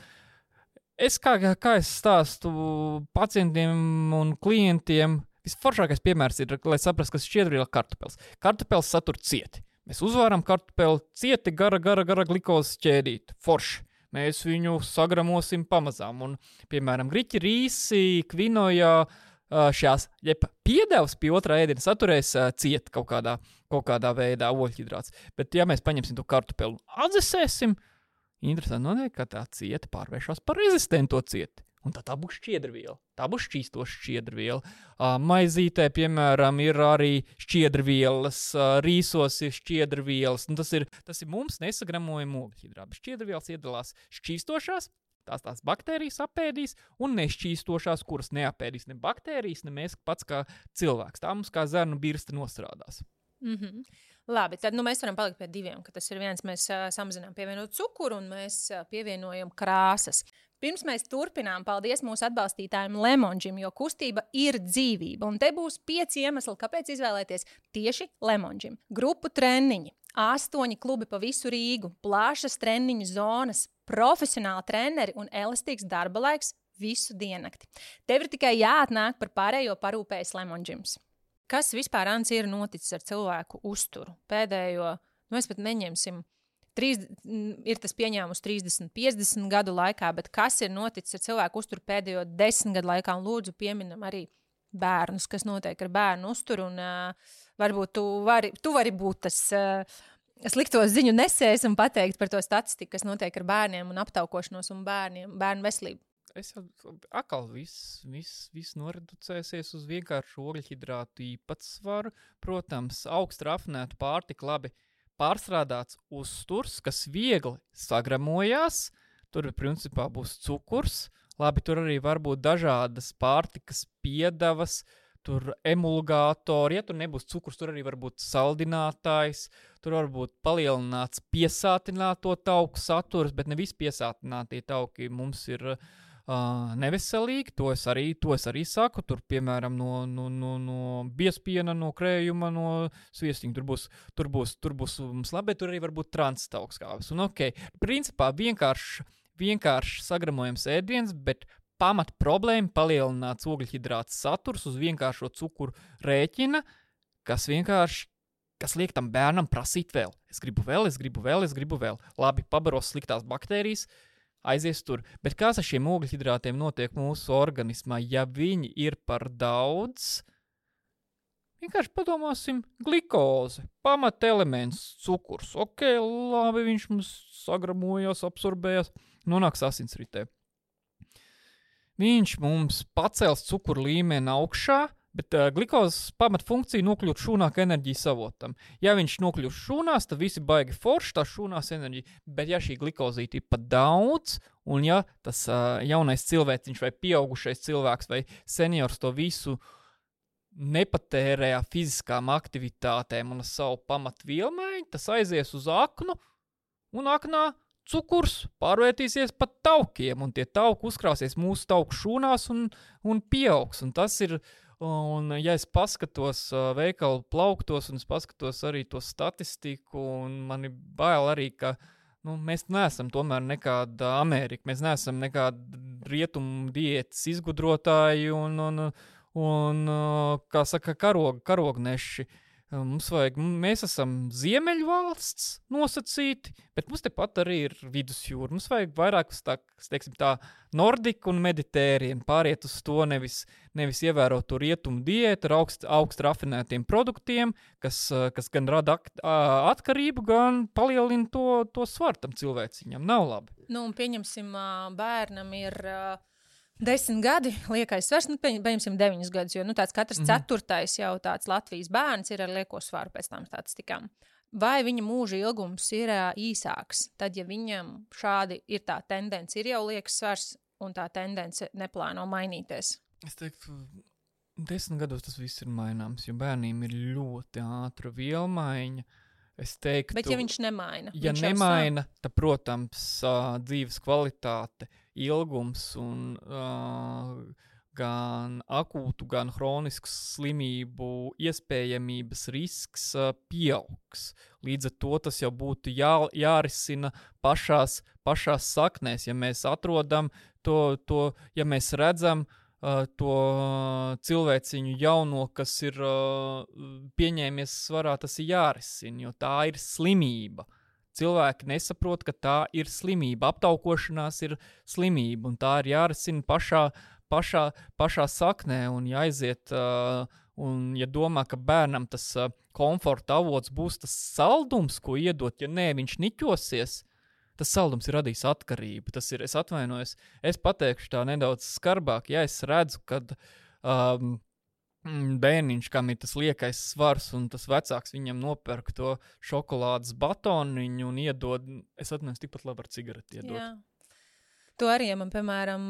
kā es stāstu pacientiem un klientiem, visforšākais piemērs ir, lai saprastu, kas šķiedrviela kartupels. Kartupels satur cieti. Mēs uzvāram kartupeli cieti gara glikozes ķēdīti. Forši. Mēs viņu sagramosim pamazām. Un, piemēram, griķi, rīsi, kvinojā, šās, piedevs pie otrā ēdiena saturēs cieti kaut kādā veidā ogļhidrāts. Bet, ja mēs paņemsim to kartupeli un atdzesēsim, interesanti notiek, ka tā cieta pārvēršas par rezistento cieti. Un tā būs šķiedrviela. Tā būs šķīstoša šķiedrviela. Maizītē, piemēram, ir arī šķiedrvielas, rīsos ir šķiedrvielas. Tas ir mums nesagramojama ogļhidrāti. Šķiedrvielas iedalās šķīstošās, tās baktērijas apēdīs, un nešķīstošās, kuras neapēdīs ne baktērijas, ne mēs pats kā cilvēks. Tā mums kā zarnu birsta nostrādās. Mm-hmm. Labi, tad mēs varam palikt pie 2, ka tas ir viens, mēs samazinām pievienot cukuru un mēs pievienojam krāsas. Pirms mēs turpinām, paldies mūsu atbalstītājiem Lemonžim, jo kustība ir dzīvība. Un te būs 5 iemesli, kāpēc izvēlēties tieši Lemonžim. Grupu treniņi, 8 klubi pa visu Rīgu, plašas treniņu zonas, profesionāli treneri un elastīgs darba laiks visu diennakti. Tev ir tikai jāatnāk par pārējo parūpējas Lemonžims. Kas vispār, Ants, ir noticis ar cilvēku uzturu? Pēdējo, mēs pat neņemsim, ir tas pieņēmus 30, 50 gadu laikā, bet kas ir noticis ar cilvēku uzturu pēdējo 10 gadu laikā? Un lūdzu pieminam arī bērnus, kas notiek ar bērnu uzturu. Un varbūt tu vari būt tas slikto ziņu nesējs un pateikt par to statistiku, kas notiek ar bērniem un aptaukošanos un bērnu veselību. Es jau atkal viss noreducēsies uz vienkāršu ogļhidrātu īpatsvaru. Protams, augstu rafinētu pārtiku labi pārstrādāts uzturs, kas viegli sagramojās. Tur principā būs cukurs. Labi, tur arī var būt dažādas pārtikas piedevas, tur emulgātori. Ja tur nebūs cukurs, tur arī var būt saldinātājs. Tur var būt palielināts piesātināto tauku saturs, bet ne visi piesātinātie tauki mums ir neveselīgi, to es arī saku, tur, piemēram, no biespiena, no krējuma, no sviestiņa, tur būs mums labi, tur arī var būt transtauskāvis. Un principā vienkārši sagramojams ēdiens, bet pamat problēma palielināts ogļhidrāts saturs uz vienkāršo cukuru rēķina, kas liek tam bērnam prasīt vēl. Es gribu vēl. Labi, pabaros sliktās baktērijas, aizies tur. Bet kas ar šiem ogļhidrātiem notiek mūsu organismā? Ja viņi ir par daudz, vienkārši padomāsim, glikoze, pamatelements, cukurs. Ok, labi, viņš mums sagramojās, absorbējās, nonāks asinsritē. Viņš mums pacels cukuru līmeni augšā, bet glikozes pamatfunkcija nokļūt šūnā kā enerģijas avotam. Ja viņš nokļūst šūnās, tad visi baigi forši, tā šūnās enerģija. Bet ja šī glikozīte ir pat daudz, un ja tas jaunais cilvēciņš vai pieaugušais cilvēks vai seniors to visu nepatērē fiziskām aktivitātēm un savu pamatvielmaiņu, tas aizies uz aknu, un aknā cukurs pārvērtīsies pat taukiem, un tie tauki uzkrāsies mūsu tauku šūnās un pieaugs. Un tas ir, un ja es paskatos veikalu plauktos, un es paskatos arī to statistiku, un man ir bail arī, ka mēs neesam tomēr nekāda Amerika, mēs neesam nekāda rietumu diētas izgudrotāji un kā saka, karogneši. Mēs esam ziemeļvalsts nosacīti, bet mums tepat arī ir vidusjūra. Mums vajag vairāk uz tā nordiku un meditērienu pāriet uz to, nevis ievērot to rietumu diētu ar augstu rafinētiem produktiem, kas gan rada atkarību, gan palielina to svaru tam cilvēciņam. Nav labi. Un pieņemsim, bērnam ir 10 gadi, liekais svars, pieņemsim 9 gadus, jo tāds katrs ceturtais jau tāds Latvijas bērns ir ar lieko svaru pēc tām statistikām. Vai viņa mūža ilgums ir īsāks, tad, ja viņam šādi ir tā tendence, ir jau liekas svars un tā tendence neplāno mainīties? Es teiktu, 10 gados tas viss ir maināms, jo bērniem ir ļoti ātra vielmaiņa. Es teiktu, bet ja viņš nemaina? Ja nemaina, tad, protams, dzīves kvalitāte, ilgums un gan akūtu, gan hronisku slimību iespējamības risks pieaugs. Līdz ar to tas jau būtu jārisina pašās saknēs, ja mēs atrodam ja mēs redzam to cilvēciņu jauno, kas ir pieņēmies svarā, tas ir jārisina, jo tā ir slimība. Cilvēki nesaprot, ka tā ir slimība. Aptaukošanās ir slimība, un tā ir jārisina pašā saknē, un jāaiziet, un ja domā, ka bērnam tas komforta avots būs tas saldums, ko iedot, ja nē, viņš niķosies, tas saldums ir radījis atkarību. Tas ir, es atvainojos, es pateikšu tā nedaudz skarbāk, ja es redzu, kad bērniņš, kam ir tas liekais svars, un tas vecāks viņam nopērk to šokolādes batoniņu un iedod, es atvainojos, tikpat labi ar cigareti iedot. Jā. To arī, man, piemēram,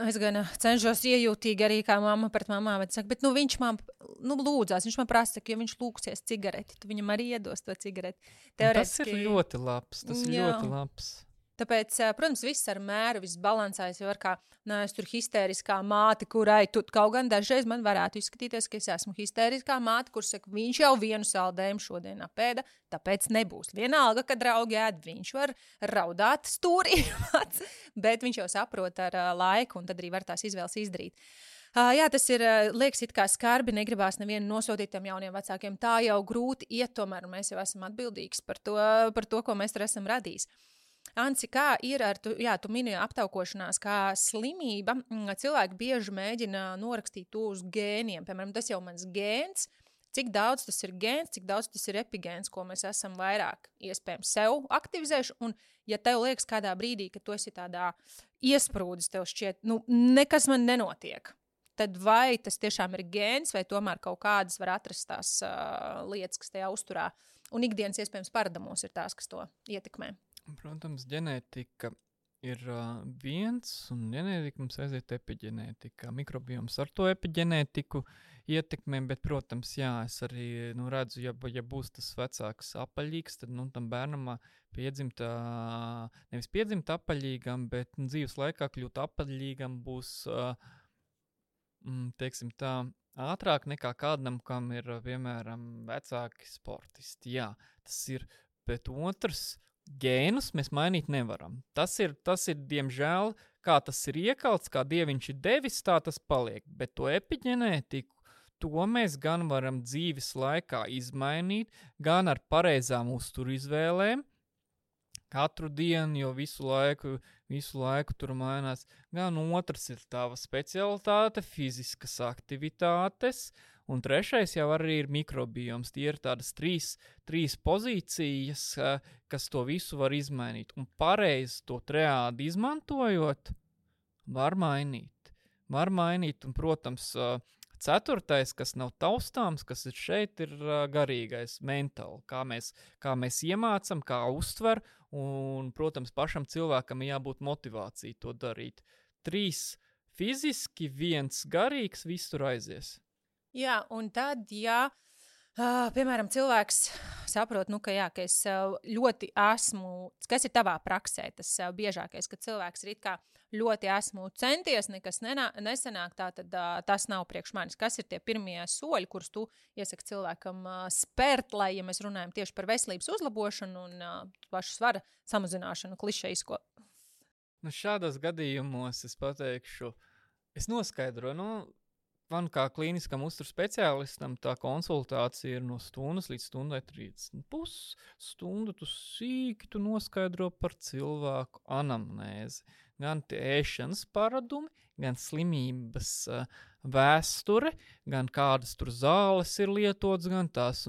es gan cenšos iejūtīgi arī kā mamma pret mamā, bet saka, bet viņš man lūdzās, viņš man prasa, ka ja viņš lūgsies cigareti, tu viņam arī iedos to cigareti. Tas ir ļoti labs, ļoti labs. Tāpēc, protams, viss ar mēru, viss balansējas, jo ar kā, es tur histēriskā māte, kurai kaut gan dažreiz man varētu izskatīties, ka es esmu histēriskā māte, kur saka, viņš jau vienu saldējumu šodien apēda, tāpēc nebūs. Vienalga, kad draugi ēd, viņš var raudāt stūrī, bet viņš jau saprot ar laiku, un tad arī var tās izvēles izdarīt. Jā, tas ir, liekas, it kā skarbi, negribās nevienu nosodīt tiem jauniem vecākiem. Tā jau grūti iet, tomēr mēs jau esam atbildīgs par to, ko mēs tur esam radījis. Anci, kā ir ar, tu minēji aptaukošanās, kā slimība, cilvēki bieži mēģina norakstīt to uz gēniem, piemēram, tas jau mans gēns, cik daudz tas ir gēns, cik daudz tas ir epigēns, ko mēs esam vairāk iespējams sev aktivizējuši, un ja tev liekas kādā brīdī, ka tu esi tādā iesprūdis, tev šķiet, nekas man nenotiek, tad vai tas tiešām ir gēns, vai tomēr kaut kādas var atrast tās lietas, kas tajā uzturā, un ikdienas iespējams paradamos ir tās, kas to ietekmē. Protams, ģenētika ir viens, un ģenētika mums aiziet epiģenētika. Mikrobioms ar to epiģenētiku ietekmē, bet, protams, jā, es arī redzu, ja būs tas vecāks apaļīgs, tad tam bērnam nevis piedzimt apaļīgam, bet dzīves laikā kļūt apaļīgam būs, teiksim tā, ātrāk nekā kādam, kam ir, piemēram, vecāki sportisti. Jā, tas ir, bet otrs, gēnus mēs mainīt nevaram. Tas ir, diemžēl, kā tas ir iekalts, kā dieviņš ir devis, tā tas paliek. Bet to epiģenētiku, to mēs gan varam dzīves laikā izmainīt, gan ar pareizām uzturu izvēlēm, katru dienu, jo visu laiku tur mainās. Gan otrs ir tava specialitāte, fiziskas aktivitātes, un trešais jau arī ir mikrobioms. Tie ir tādas trīs pozīcijas, kas to visu var izmainīt. Un pareizi to triādi izmantojot, var mainīt. Un, protams, ceturtais, kas nav taustāms, kas ir šeit, ir garīgais, mentāli. Kā mēs iemācam, kā uztver, un, protams, pašam cilvēkam jābūt motivācija to darīt. 3 fiziski, 1 garīgs, viss tur aizies. Jā, un tad, piemēram, cilvēks saprot, ka es ļoti esmu, kas ir tavā praksē, tas biežākais, ka cilvēks ir it kā ļoti esmu centies, nekas nesanāk, tad tas nav priekš manis. Kas ir tie pirmie soļi, kurus tu iesaki cilvēkam spērt, lai, ja mēs runājam tieši par veselības uzlabošanu un pašu svara samazināšanu klišejisko? Šādos gadījumos es pateikšu, es noskaidroju, man kā klīniskam uzturu speciālistam tā konsultācija ir no stundas līdz stundai 30. Pusstundu tu sīki noskaidro par cilvēku anamnēzi. Gan tie ēšanas paradumi, gan slimības vēsture, gan kādas tur zāles ir lietotas, gan tas.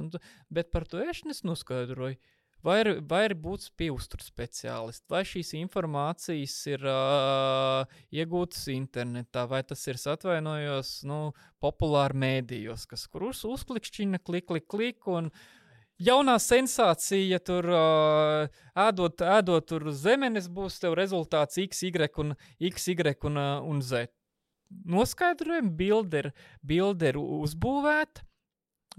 Bet par to ēšanu es noskaidroju. Vai ir būt pie uzturu speciālista, vai šīs informācijas ir iegūtas internetā, vai tas ir atvainojos, populāri mēdījos, kur uzklikšķina, klik, un jaunā sensācija tur ēdot tur zemenes būs tev rezultāts X, Y un Z. Noskaidrojam, bilde ir uzbūvēta.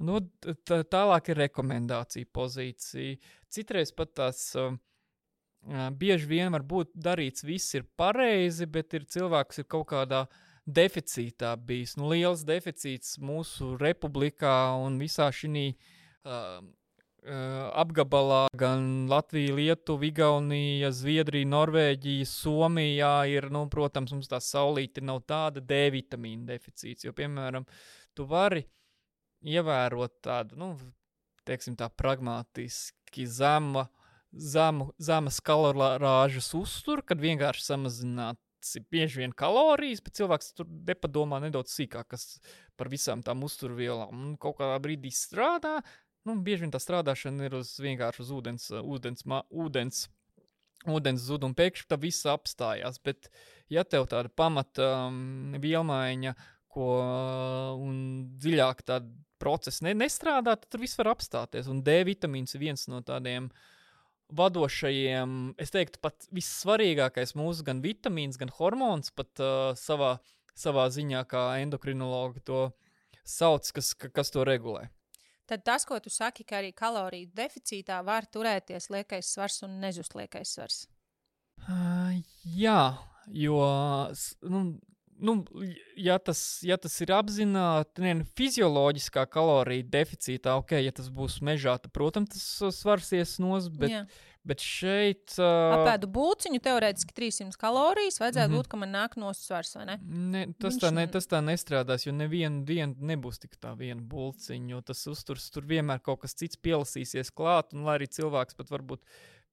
Tālāk ir rekomendācija pozīcija. Citreiz pat tās bieži vien var būt darīts, viss ir pareizi, bet cilvēks ir kaut kādā deficītā bijis. Liels deficīts mūsu republikā un visā šī apgabalā, gan Latvija, Lietuva, Igaunija, Zviedrija, Norvēģija, Somijā ir, protams, mums tā saulīte nav tāda D-vitamīna deficīts, jo, piemēram, tu vari ievērot tādu, teiksim tā pragmatiski zemas kalorāžas uzturu, kad vienkārši samazināts bieži vien kalorijas, bet cilvēks tur nepadomā nedaudz sīkāk, kas par visām tām uzturvielām. Un kaut kādā brīdī strādā, bieži vien tā strādāšana ir vienkārši uz ūdens zud, un pēkšņi tā viss apstājās. Bet ja tev tāda pamata vielmaiņa, un dziļāk tāda procesi nestrādā, tad tur viss var apstāties. Un D-vitamīns ir viens no tādiem vadošajiem, es teiktu, pat vissvarīgākais mūsu gan vitamīns, gan hormons, pat savā ziņā, kā endokrinologi to sauc, kas to regulē. Tad tas, ko tu saki, ka arī kaloriju deficītā var turēties liekais svars un nezust liekais svars? Jā, jo... ja tas ir apzināti, fizioloģiskā kalorija deficītā, ja tas būs mežā, tad, protams, tas svars ies nost, bet šeit... Apēdu būciņu, teorētiski 300 kalorijas, vajadzētu būt, ka man nāk nost svars, vai ne? Tas tā nestrādās, jo nevienu dienu nebūs tik tā viena bulciņa, jo tas uzturs tur vienmēr kaut kas cits pielasīsies klāt, un lai arī cilvēks pat varbūt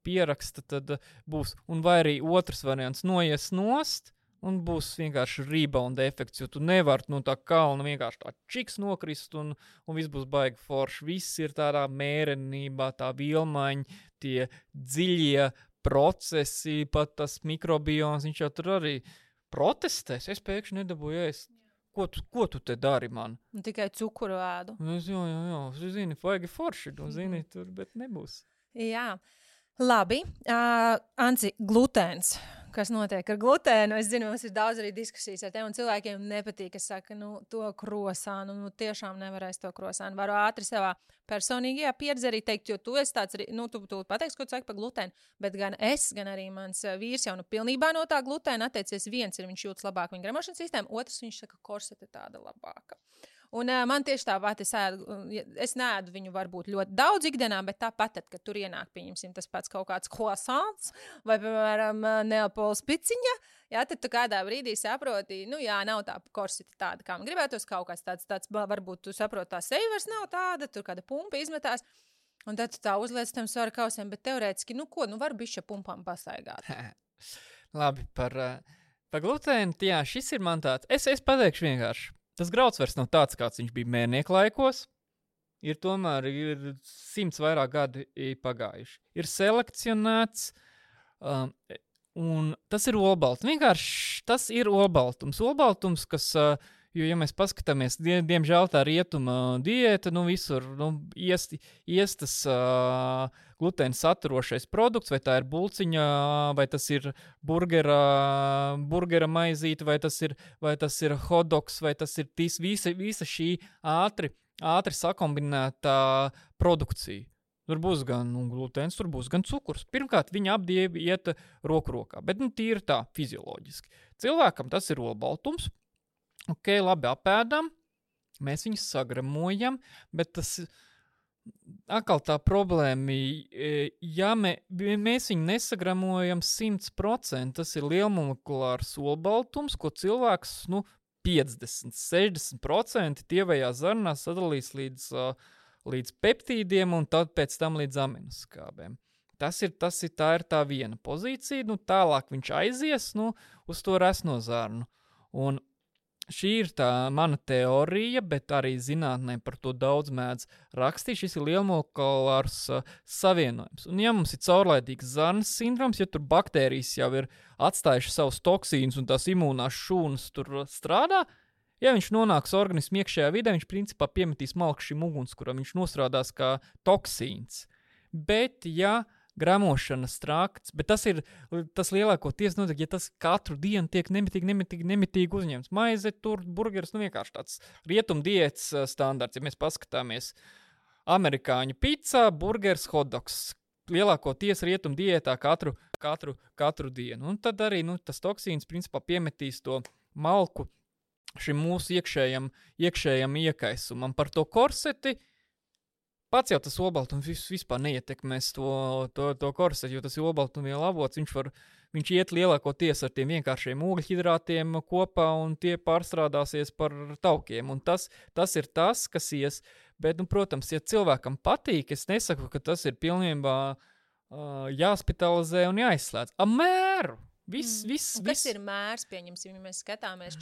pieraksta, tad būs. Un vai arī otrs variants noies nost, un būs vienkārši rebound efekts, jo tu nevari no tā kalna vienkārši tā čiks nokrist, un viss būs baigi forši. Viss ir tādā mērenībā, tā vielmaiņa, tie dziļie procesi, pat tas mikrobioms, viņš jau tur arī protestēs. Es pēkšņi nedabūju ēst. Ko tu te dari man? Un tikai cukuru ēdu. Jā, zini, baigi forši, zini, tur, bet nebūs. Jā. Labi, Anci, glutēns. Kas notiek ar glutēnu? Es zinu, mums ir daudz arī diskusijas ar tevi, un cilvēkiem nepatīk, kas saka, to krosānu, tiešām nevarēs to krosānu. Varu ātri savā personīgajā pieredzē arī teikt, jo tu esi tāds, tu pateiksi, ko tu saki par glutēnu, bet gan es, gan arī mans vīrs jau pilnībā no tā glutēna atteicies. Viens ir, viņš jūtas labāk viņa gremošanas sistēma, otrs viņš saka, korsete tāda labāka. Un man tieši tāpat, es neēdu viņu varbūt ļoti daudz ikdienā, bet tāpat, kad tur ienāk, pieņemsim, tas pats kaut kāds croissants vai, piemēram, Neapoles piciņa, jā, tad tu kādā brīdī saproti, nu jā, nav tā korsita tāda, kā man gribētos, kaut kāds tāds varbūt tu saproti, tā seja vairs nav tāda, tur kāda pumpa izmetās, un tad tu tā uzliec tam svara kausiem, bet teorētiski, var bišķa pumpām pastaigāt. Labi, par glutēnu, jā, šis ir man tāds, es pateikšu vienkārši. Tas grauds vairs nav tāds, kāds viņš bija mērnieku laikos. Ir 100 vairāk gadi pagājuši. Ir selekcionēts, un tas ir olbaltums. Vienkārši tas ir olbaltums. Olbaltums, kas, jo, ja mēs paskatāmies, diemžēl tā rietuma diēta, visur iestas glutēna saturošais produkts, vai tā ir bulciņa, vai tas ir burgera maizīte, vai tas ir hotdogs, vai tas ir visa šī ātri sakombinētā produkcija. Tur būs gan glutēns, tur būs gan cukurs. Pirmkārt, viņi abi iet roku rokā, bet tīri tā, fizioloģiski. Cilvēkam tas ir olbaltums. Ok, labi, apēdam, mēs viņus sagramojam, bet tas atkal tā problēma, ja mēs viņu nesagramojam 100%, tas ir lielmolekulārs olbaltums, ko cilvēks, 50-60% tievajā zarnā sadalīs līdz peptīdiem un tad pēc tam līdz aminoskābēm. Tā ir tā viena pozīcija, tālāk viņš aizies, uz to resno zarnu. Un šī ir tā mana teorija, bet arī zinātnē par to daudz mēdz rakstīt. Šis ir lielmolekulārs savienojums. Un ja mums ir caurlaidīgs zarnas sindroms, ja tur baktērijas jau ir atstājuši savus toksīnus un tās imūnās šūnas tur strādā, ja viņš nonāks organismu iekšējā vidē, viņš principā piemetīs malku šim ugunskuram, viņš nostrādās kā toksīns. Bet, ja gramošanas trakts, bet tas lielākoties notiek, ja tas katru dienu tiek nemitīgi uzņemts. Maize, tur, burgeris, vienkārši tāds rietumdiētas standarts. Ja mēs paskatāmies amerikāņu pizza, burgeris, hotdogs. Lielākoties rietumdiētā katru dienu. Un tad arī tas toksīns principā piemetīs to malku šim mūsu iekšējam iekaisumam. Par to korseti pats jau tas olbaltums vispār neietekmēs to korseti, jo tas ir olbaltumvielu avots, viņš iet lielākoties ar tiem vienkāršiem ūgļhidrātiem kopā un tie pārstrādāsies par taukiem. Un tas ir tas, kas ies. Bet, protams, ja cilvēkam patīk, es nesaku, ka tas ir pilnībā jāspitalizē un jāizslēdz. Mēru! Kas ir mērs, pieņemsim, ja mēs skatāmies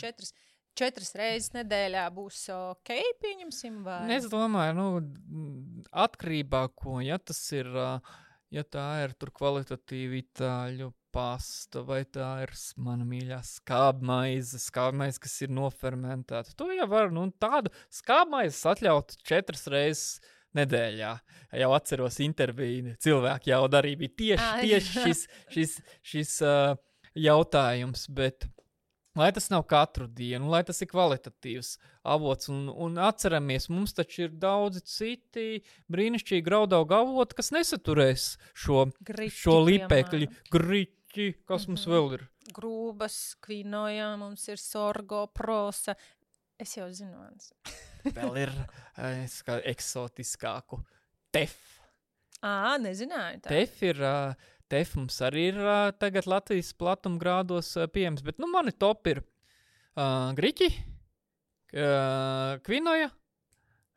4 reizes nedēļā būs ok, pieņemsim, vai? Es domāju, atkarībā, ja tas ir, ja tā ir tur kvalitatīva itāļu pasta, vai tā ir mana mīļā skābmaize, kas ir nofermentēta. To jau var, tādu skābmaizes atļaut 4 reizes nedēļā. Jau atceros interviju, cilvēki jau arī bija tieši šis jautājums, bet lai tas nav katru dienu, lai tas ir kvalitatīvs avots. Un atceramies, mums taču ir daudzi citi brīnišķīgi graudaugu avoti, kas nesaturēs šo lipekļu. Griķi, kas mums vēl ir? Grūbas, kvinoja, mums ir sorgo, prosa. Es jau zinu. Vēl ir eksotiskāku. Tef. Nezināju tā. Tef mums arī ir tagad Latvijas platumgrādos pieejams, bet mani top ir griķi, kvinoja,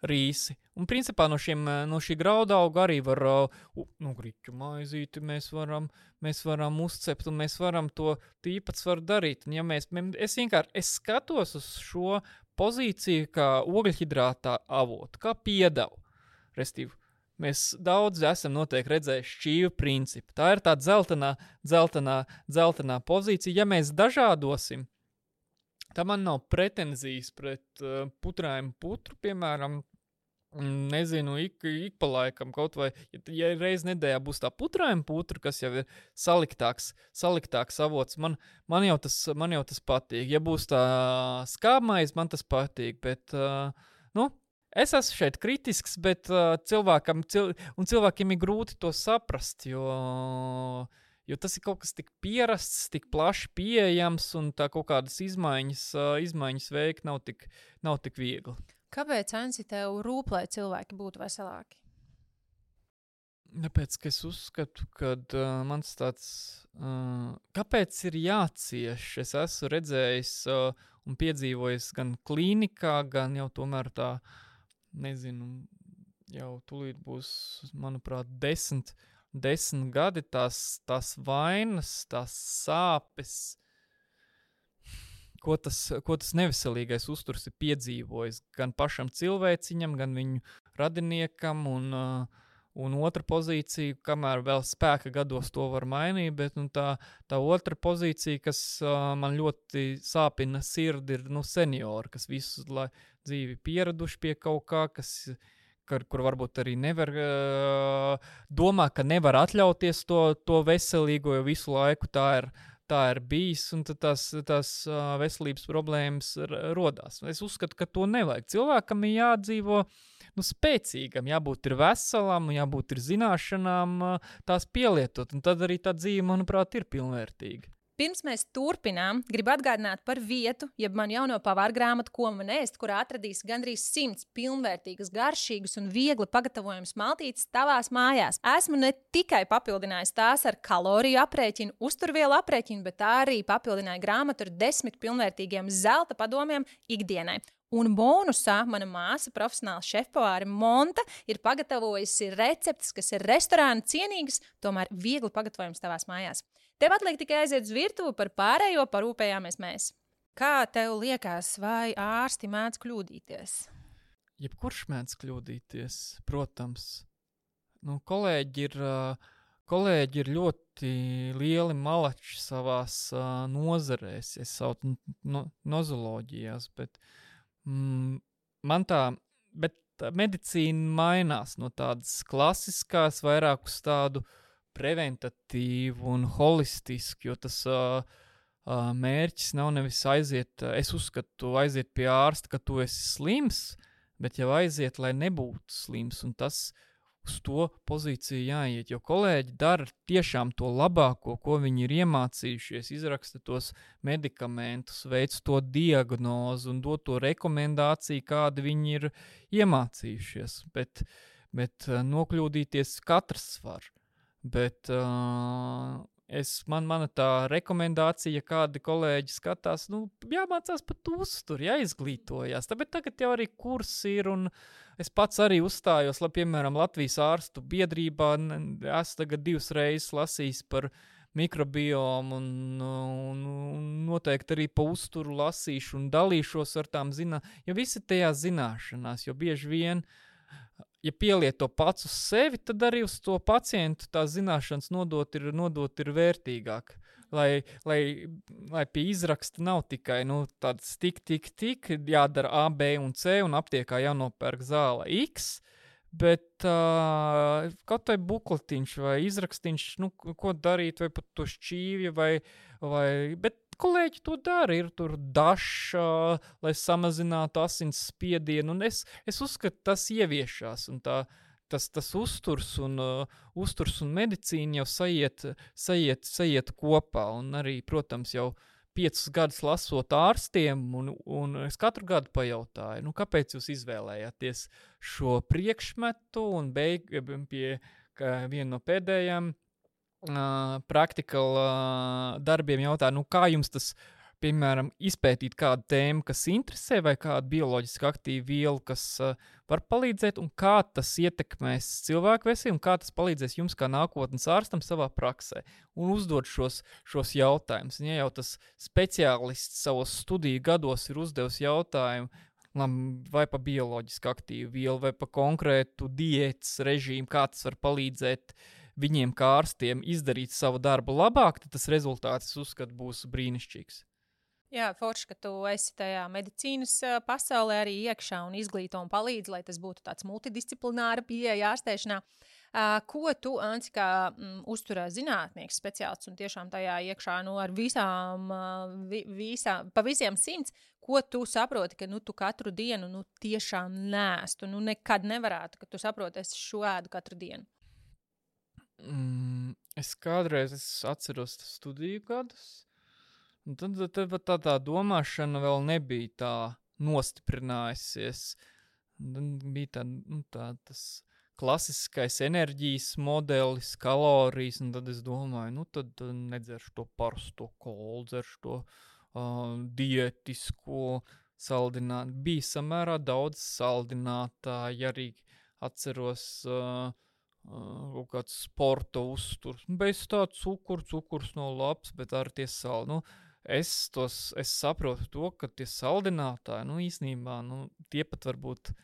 rīsi. Un principā no šī graudauga arī var, griķu maizīti mēs varam uzcept un mēs varam to īpatsvaru darīt. Un ja es skatos uz šo pozīciju kā ogļhidrātā avotu, kā piedevu, restīvi. Mēs daudz esam noteikti redzējuši šķīvu principu. Tā ir tāda dzeltenā pozīcija. Ja mēs dažādosim, tā man nav pretenzijas pret putrājiem putru, piemēram, nezinu, ik pa laikam kaut vai, ja reiz nedēļā būs tā putrājiem putra, kas jau ir saliktāks avots, man jau tas patīk. Ja būs tā skābmaize, man tas patīk, bet, es esmu šeit kritisks, bet cilvēkiem ir grūti to saprast, jo tas ir kaut kas tik pierasts, tik plaši pieejams, un tā kaut kādas izmaiņas veikt nav tik viegli. Kāpēc, Ansi, tev rūp, lai cilvēki būtu veselāki? Tāpēc, ka es uzskatu, ka mans tāds, kāpēc ir jācieš? Es esmu redzējis un piedzīvojis gan klīnikā, gan jau tomēr tā, nezinu, jau tūlīt būs, manuprāt, 10 gadi tās vainas, tās sāpes, ko tas neveselīgais uzturs ir piedzīvojis gan pašam cilvēciņam, gan viņu radiniekam, un otra pozīcija, kamēr vēl spēka gados to var mainīt, bet tā otra pozīcija, kas man ļoti sāpina sirdi, ir seniori, kas visu dzīvi pieraduši pie kaut kā, kur varbūt arī nevar domā, ka nevar atļauties to veselīgo, jo visu laiku tā ir bijis, un tad tās veselības problēmas rodās. Es uzskatu, ka to nevajag. Cilvēkam ir jādzīvo spēcīgam, jābūt ir veselam, jābūt ir zināšanām tās pielietot, un tad arī tā dzīve, manuprāt, ir pilnvērtīga. Pirms mēs turpinām, gribu atgādināt par vietu, jeb man jauno pavāra grāmatu, ko man ēst, kurā atradīs gandrīz 100 pilnvērtīgas, garšīgas un viegli pagatavojamas maltītes tavās mājās. Esmu ne tikai papildinājis tās ar kaloriju aprēķinu, uzturvielu aprēķinu, bet arī papildināju grāmatu ar 10 pilnvērtīgiem zelta padomiem ikdienai. Un bonusā mana māsa, profesionāla šefpavāre Monta, ir pagatavojusi receptes, kas ir restorāna cienīgas, tomēr viegli pagatavojams tavās mājās. Tev atliek tikai aiziet uz virtuvi, par pārējo parūpējāmies mēs. Kā tev liekas, vai ārsti mēdz kļūdīties? Jebkurš mēdz kļūdīties, protams. Kolēģi ir ļoti lieli malači savās nozarēs, es saucu nozoloģijās, bet bet medicīna mainās no tādas klasiskās vairāk uz tādu preventatīvu un holistisku, jo tas mērķis nav nevis aiziet, es uzskatu, aiziet pie ārsta, ka tu esi slims, bet jau aiziet, lai nebūtu slims, un tas uz to pozīciju jāiet, jo kolēģi dara tiešām to labāko, ko viņi ir iemācījušies, izraksta tos medikamentus, veic to diagnozu un dod to rekomendāciju, kādu viņi ir iemācījušies, bet nokļūdīties katrs var, bet mana tā rekomendācija, kādi kolēģi skatās, jāmācās pat uztur, jāizglītojās, bet tagad jau arī kursi ir, un es pats arī uzstājos, piemēram, Latvijas ārstu biedrībā, esmu tagad 2 reizes lasījis par mikrobiomu, un noteikti arī pa uzturu lasīšu un dalīšos ar tām jo visi tajās zināšanās, jo bieži vien, ja pieliet to pats uz sevi, tad arī uz to pacientu tās zināšanas nodot ir vērtīgāk. Lai pie izraksta nav tikai tāds tik, jādara A, B un C, un aptiekā jānopērk zāle X, bet kaut vai bukletiņš vai izrakstīņš, ko darīt, vai pat to šķīvju, bet kolēģi to dara, ir tur dašs, lai samazinātu asins spiedienu, un es uzskatu, tas ieviešās, un tas uzturs un medicīna jau sajiet kopā, un arī, protams, jau 5 gadus lasot ārstiem, un es katru gadu pajautāju, kāpēc jūs izvēlējāties šo priekšmetu, un pie viena no pēdējām praktikal darbiem jautāju, kā jums tas, piemēram, izpētīt kādu tēmu, kas interesē, vai kādu bioloģiski aktīvu vielu, kas var palīdzēt, un kā tas ietekmēs cilvēku veselību, un kā tas palīdzēs jums kā nākotnes ārstam savā praksē, un uzdot šos jautājumus. Ja jau tas speciālists savos studiju gados ir uzdevis jautājumu, vai pa bioloģiski aktīvu vielu, vai pa konkrētu diētas režīmu, kā tas var palīdzēt viņiem kā ārstiem izdarīt savu darbu labāk, tad tas rezultāts, es uzskatu, būs brīnišķīgs. Jā, forši, ka tu esi tajā medicīnas pasaulē arī iekšā un izglīto un palīdzi, lai tas būtu tāds multidisciplināra pieeja ārstēšanā. Ko tu, Anci, kā uzturā zinātnieks, speciālists un tiešām tajā iekšā ar pa visiem 100, ko tu saproti, ka tu katru dienu tiešām nēstu, nekad nevarētu, ka tu saproti, es šo ēdu katru dienu? Es kādreiz atceros studiju gadus, un tad tā domāšana vēl nebija tā nostiprinājusies. Bija tas klasiskais enerģijas modelis, kalorijas, un tad es domāju, tad nedzeršu to parasto kolu, dzeršu to dietisko saldinātu. Bija samērā daudz saldinātāji, arī atceros kaut kāds sporta uzturs. Bez tā cukurs nav labs, bet ar tie saldi. Es saprotu to, ka tie saldinātāji, īsnībā, tie pat varbūt,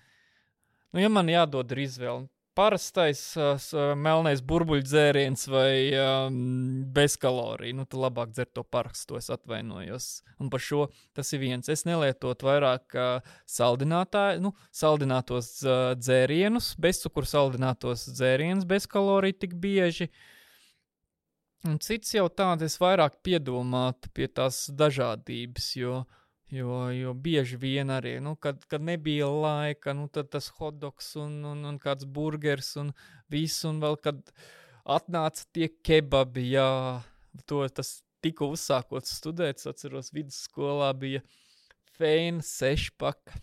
ja man jādod ir izvēle, parastais melnais burbuļdzēriens vai bez kaloriju, tad labāk dzert to parasto, es atvainojos. Un par šo tas ir viens. Es nelietotu vairāk saldinātos dzērienus, bezcukuru saldinātos dzērienus, bez kaloriju tik bieži. Un cits jau tāds, es vairāk piedomātu pie tās dažādības, jo bieži vien arī, kad nebija laika, tad tas hotdogs un kāds burgers un viss, un vēl, kad atnāca tie kebabi, tas tikko uzsākot studēt, atceros, vidusskolā bija feina 6-paka,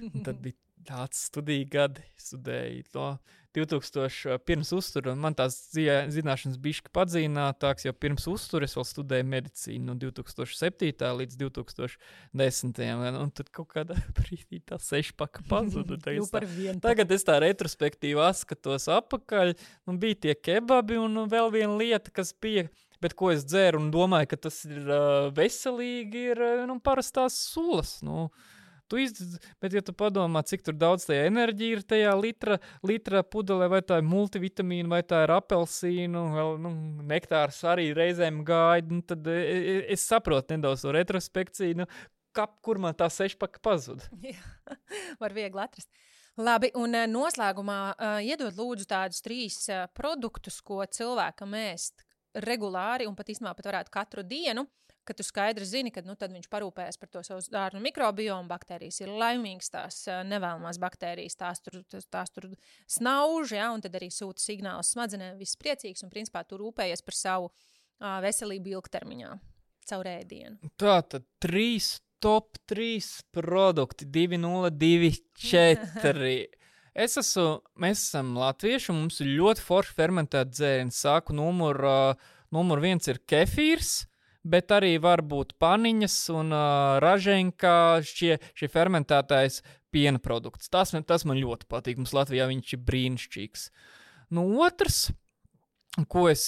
un tad bija tāds studiju gadi, studēju to 2000 pirms uztura, un man tās zināšanas bišķi padzīnātāks, jo pirms uztura es vēl studēju medicīnu no 2007. Līdz 2010. Un tad kaut kādā brīdī tā 6-paka pazuda. Tagad es tā retrospektīvi skatos apakaļ, un bija tie kebabi, un vēl viena lieta, kas bija, bet ko es dzēru un domāju, ka tas ir veselīgi, ir parastās sulas, Bet, ja tu padomā, cik tur daudz tajā enerģija ir tajā litra pudelē, vai tā ir multivitamīna, vai tā ir apelsīnu, vēl, nektārs arī reizēm gaida, tad es saprotu nedaudz to retrospekciju, kur man tā 6-paka pazuda. Jā, var viegli atrast. Labi, un noslēgumā iedod lūdzu tādus 3 produktus, ko cilvēkam ēst regulāri un pat īstenībā pat varētu katru dienu, ka tu skaidri zini, ka tad viņš parūpējas par to savu dārnu mikrobiomu, baktērijas ir laimīgas, tās nevēlamās baktērijas, tās tur snauž, un tad arī sūta signālus smadzenēm, viss priecīgs, un principā tu rūpējies par savu veselību ilgtermiņā, caur ēdienu. Tātad 3 produkti, 2024. Mēs esam latvieši, un mums ir ļoti forši fermentēti dzērieni. Sāku numur 1 ir kefīrs, bet arī var būt paniņas un raženkā šie fermentētais piena produkts. Tas man ļoti patīk. Mums Latvijā viņš ir brīnišķīgs. Otrs, ko es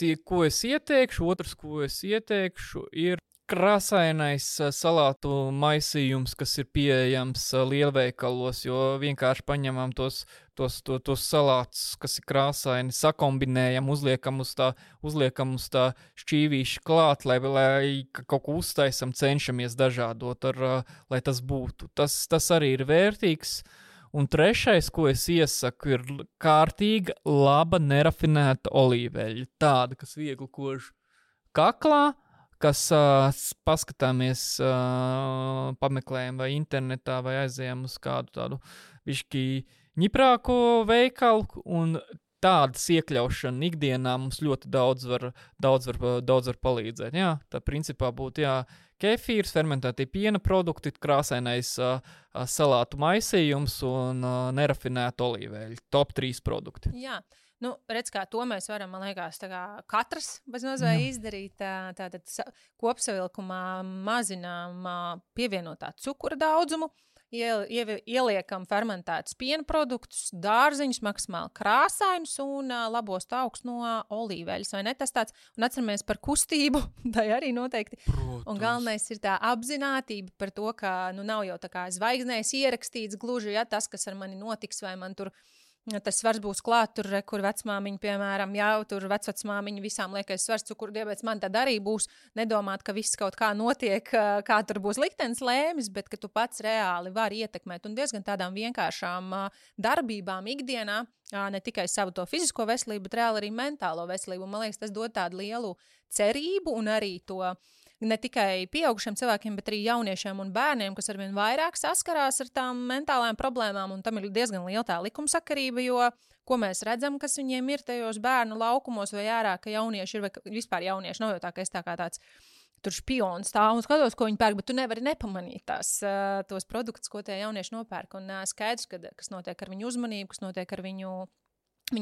ieteikšu, ir krāsainais salātu maisījums, kas ir pieejams lielveikalos, jo vienkārši paņemam tos salātus, kas ir krāsaini, sakombinējam, uzliekam uz tā šķīvīša klāt, lai kaut ko uztaisam, cenšamies dažādot, lai tas būtu. Tas arī ir vērtīgs. Un 3, ko es iesaku, ir kārtīga, laba, nerafinēta olīveļa. Tāda, kas viegli kož kaklā, kas paskatāmies, pameklējam vai internetā, vai aizējam uz kādu tādu višķi ņiprāko veikalu, un tādas iekļaušana ikdienā mums ļoti daudz var palīdzēt. Jā, tā principā būtu, kefīrs, fermentētie piena produkti, krāsainais salātu maisījums un nerafinēta olīveļa. Top 3 produkti. Jā. Redz, kā to mēs varam, man liekas, katrs bezmazliet izdarīt. Tātad kopsavilkumā mazinām pievienotā cukura daudzumu, ieliekam fermentētus piena produktus, dārziņus, maksimāli krāsainus un labos taukus no olīveļas, vai ne? Tas tāds, un atceramies par kustību, tai arī noteikti. Protams. Un galvenais ir tā apzinātība par to, ka nav jau tā kā zvaigznēs ierakstīts gluži, tas, kas ar mani notiks, vai man tur tas svars būs klāt, tur, kur vecmāmiņa, piemēram, tur vecvecmāmiņa visām liekais svars, cukuru diabetes, man tad arī būs nedomāt, ka viss kaut kā notiek, kā tur būs liktenis lēmis, bet ka tu pats reāli vari ietekmēt un diezgan tādām vienkāršām darbībām ikdienā, ne tikai savu to fizisko veselību, bet reāli arī mentālo veselību. Man liekas, tas dod tādu lielu cerību un arī to ne tikai pieaugušiem cilvēkiem, bet arī jauniešiem un bērniem, kas arvien vairāk saskarās ar tām mentālajām problēmām, un tam ir diezgan liela tā likumsakarība, jo ko mēs redzam, kas viņiem ir tajos bērnu laukumos vai ārā, ka jaunieši ir, vai vispār jaunieši nav jau tā, ka es tā kā tāds tur špioni stāv un skatos, ko viņi pērk, bet tu nevari nepamanīt tos produktus, ko tie jaunieši nopērk. Un skaidrs, kas notiek ar viņu uzmanību, kas notiek ar viņu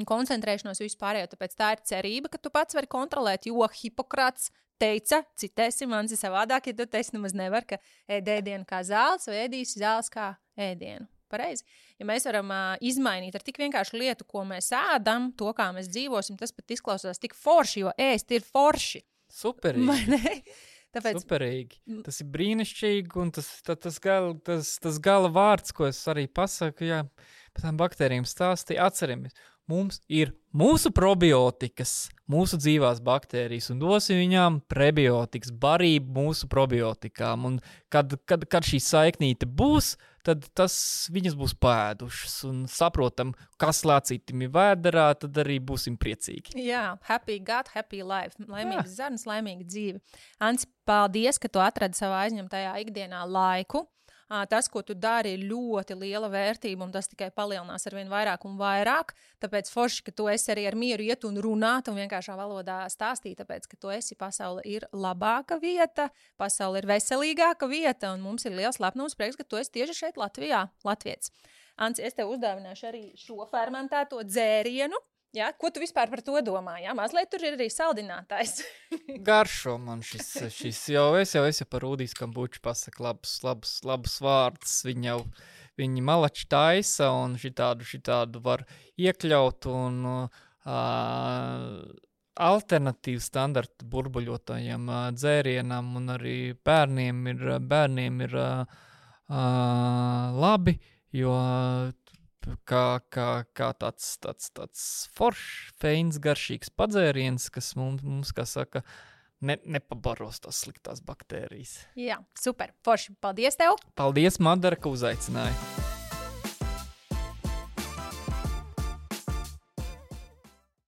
koncentrēšanos vispārējo. Tāpēc tā ir cerība, ka tu pats vari kontrolēt, jo Hipokrats teica, citēsim, man ir savādāk, ja tu teici nemaz nevar, ka ēd ēdienu kā zāles vai ēdīsi zāles kā ēdienu. Pareizi. Ja mēs varam izmainīt ar tik vienkāršu lietu, ko mēs ēdam, to, kā mēs dzīvosim, tas pat izklausās tik forši, jo ēst ir forši. Superīgi. Tāpēc... Superīgi. Tas ir brīnišķīgi, un tas gala vārds, ko es arī pasaku, jā, par tām baktērijām stāstīju, atceramies. Mums ir mūsu probiotikas, mūsu dzīvās baktērijas, un dosim viņām prebiotikas, barību mūsu probiotikām. Un kad šī saiknīte būs, tad viņas būs pēdušas un saprotam, kas lācītim ir vēderā, tad arī būsim priecīgi. Jā, happy gut, happy life. Laimīgs zarnas, laimīga dzīve. Ants, paldies, ka tu atradi savā aizņemtajā ikdienā laiku. Tas, ko tu dari, ir ļoti liela vērtība, un tas tikai palielinās arvien vairāk un vairāk. Tāpēc forši, ka tu esi arī ar mieru iet un runāt un vienkāršā valodā stāstīt, tāpēc, ka tu esi pasaule ir labāka vieta, pasaule ir veselīgāka vieta, un mums ir liels lepnums prieks, ka tu esi tieši šeit Latvijā, latvietis. Ants, es tev uzdāvināšu arī šo fermentēto dzērienu. Jā, ko tu vispār par to domā? Jā, mazliet tur ir arī saldinātājs. Garšo man šis jau par Rūdijas kambuču pasaku labus vārdus. Viņi malači taisa un šitādu var iekļaut un alternatīvu standartu burbuļotajiem dzērienam un arī bērniem ir labi, jo kā tāds foršs, feins, garšīgs padzēriens, kas mums kā saka, nepabaros tās sliktās baktērijas. Jā, super, forši. Paldies tev! Paldies, Madara, ka uzaicināji!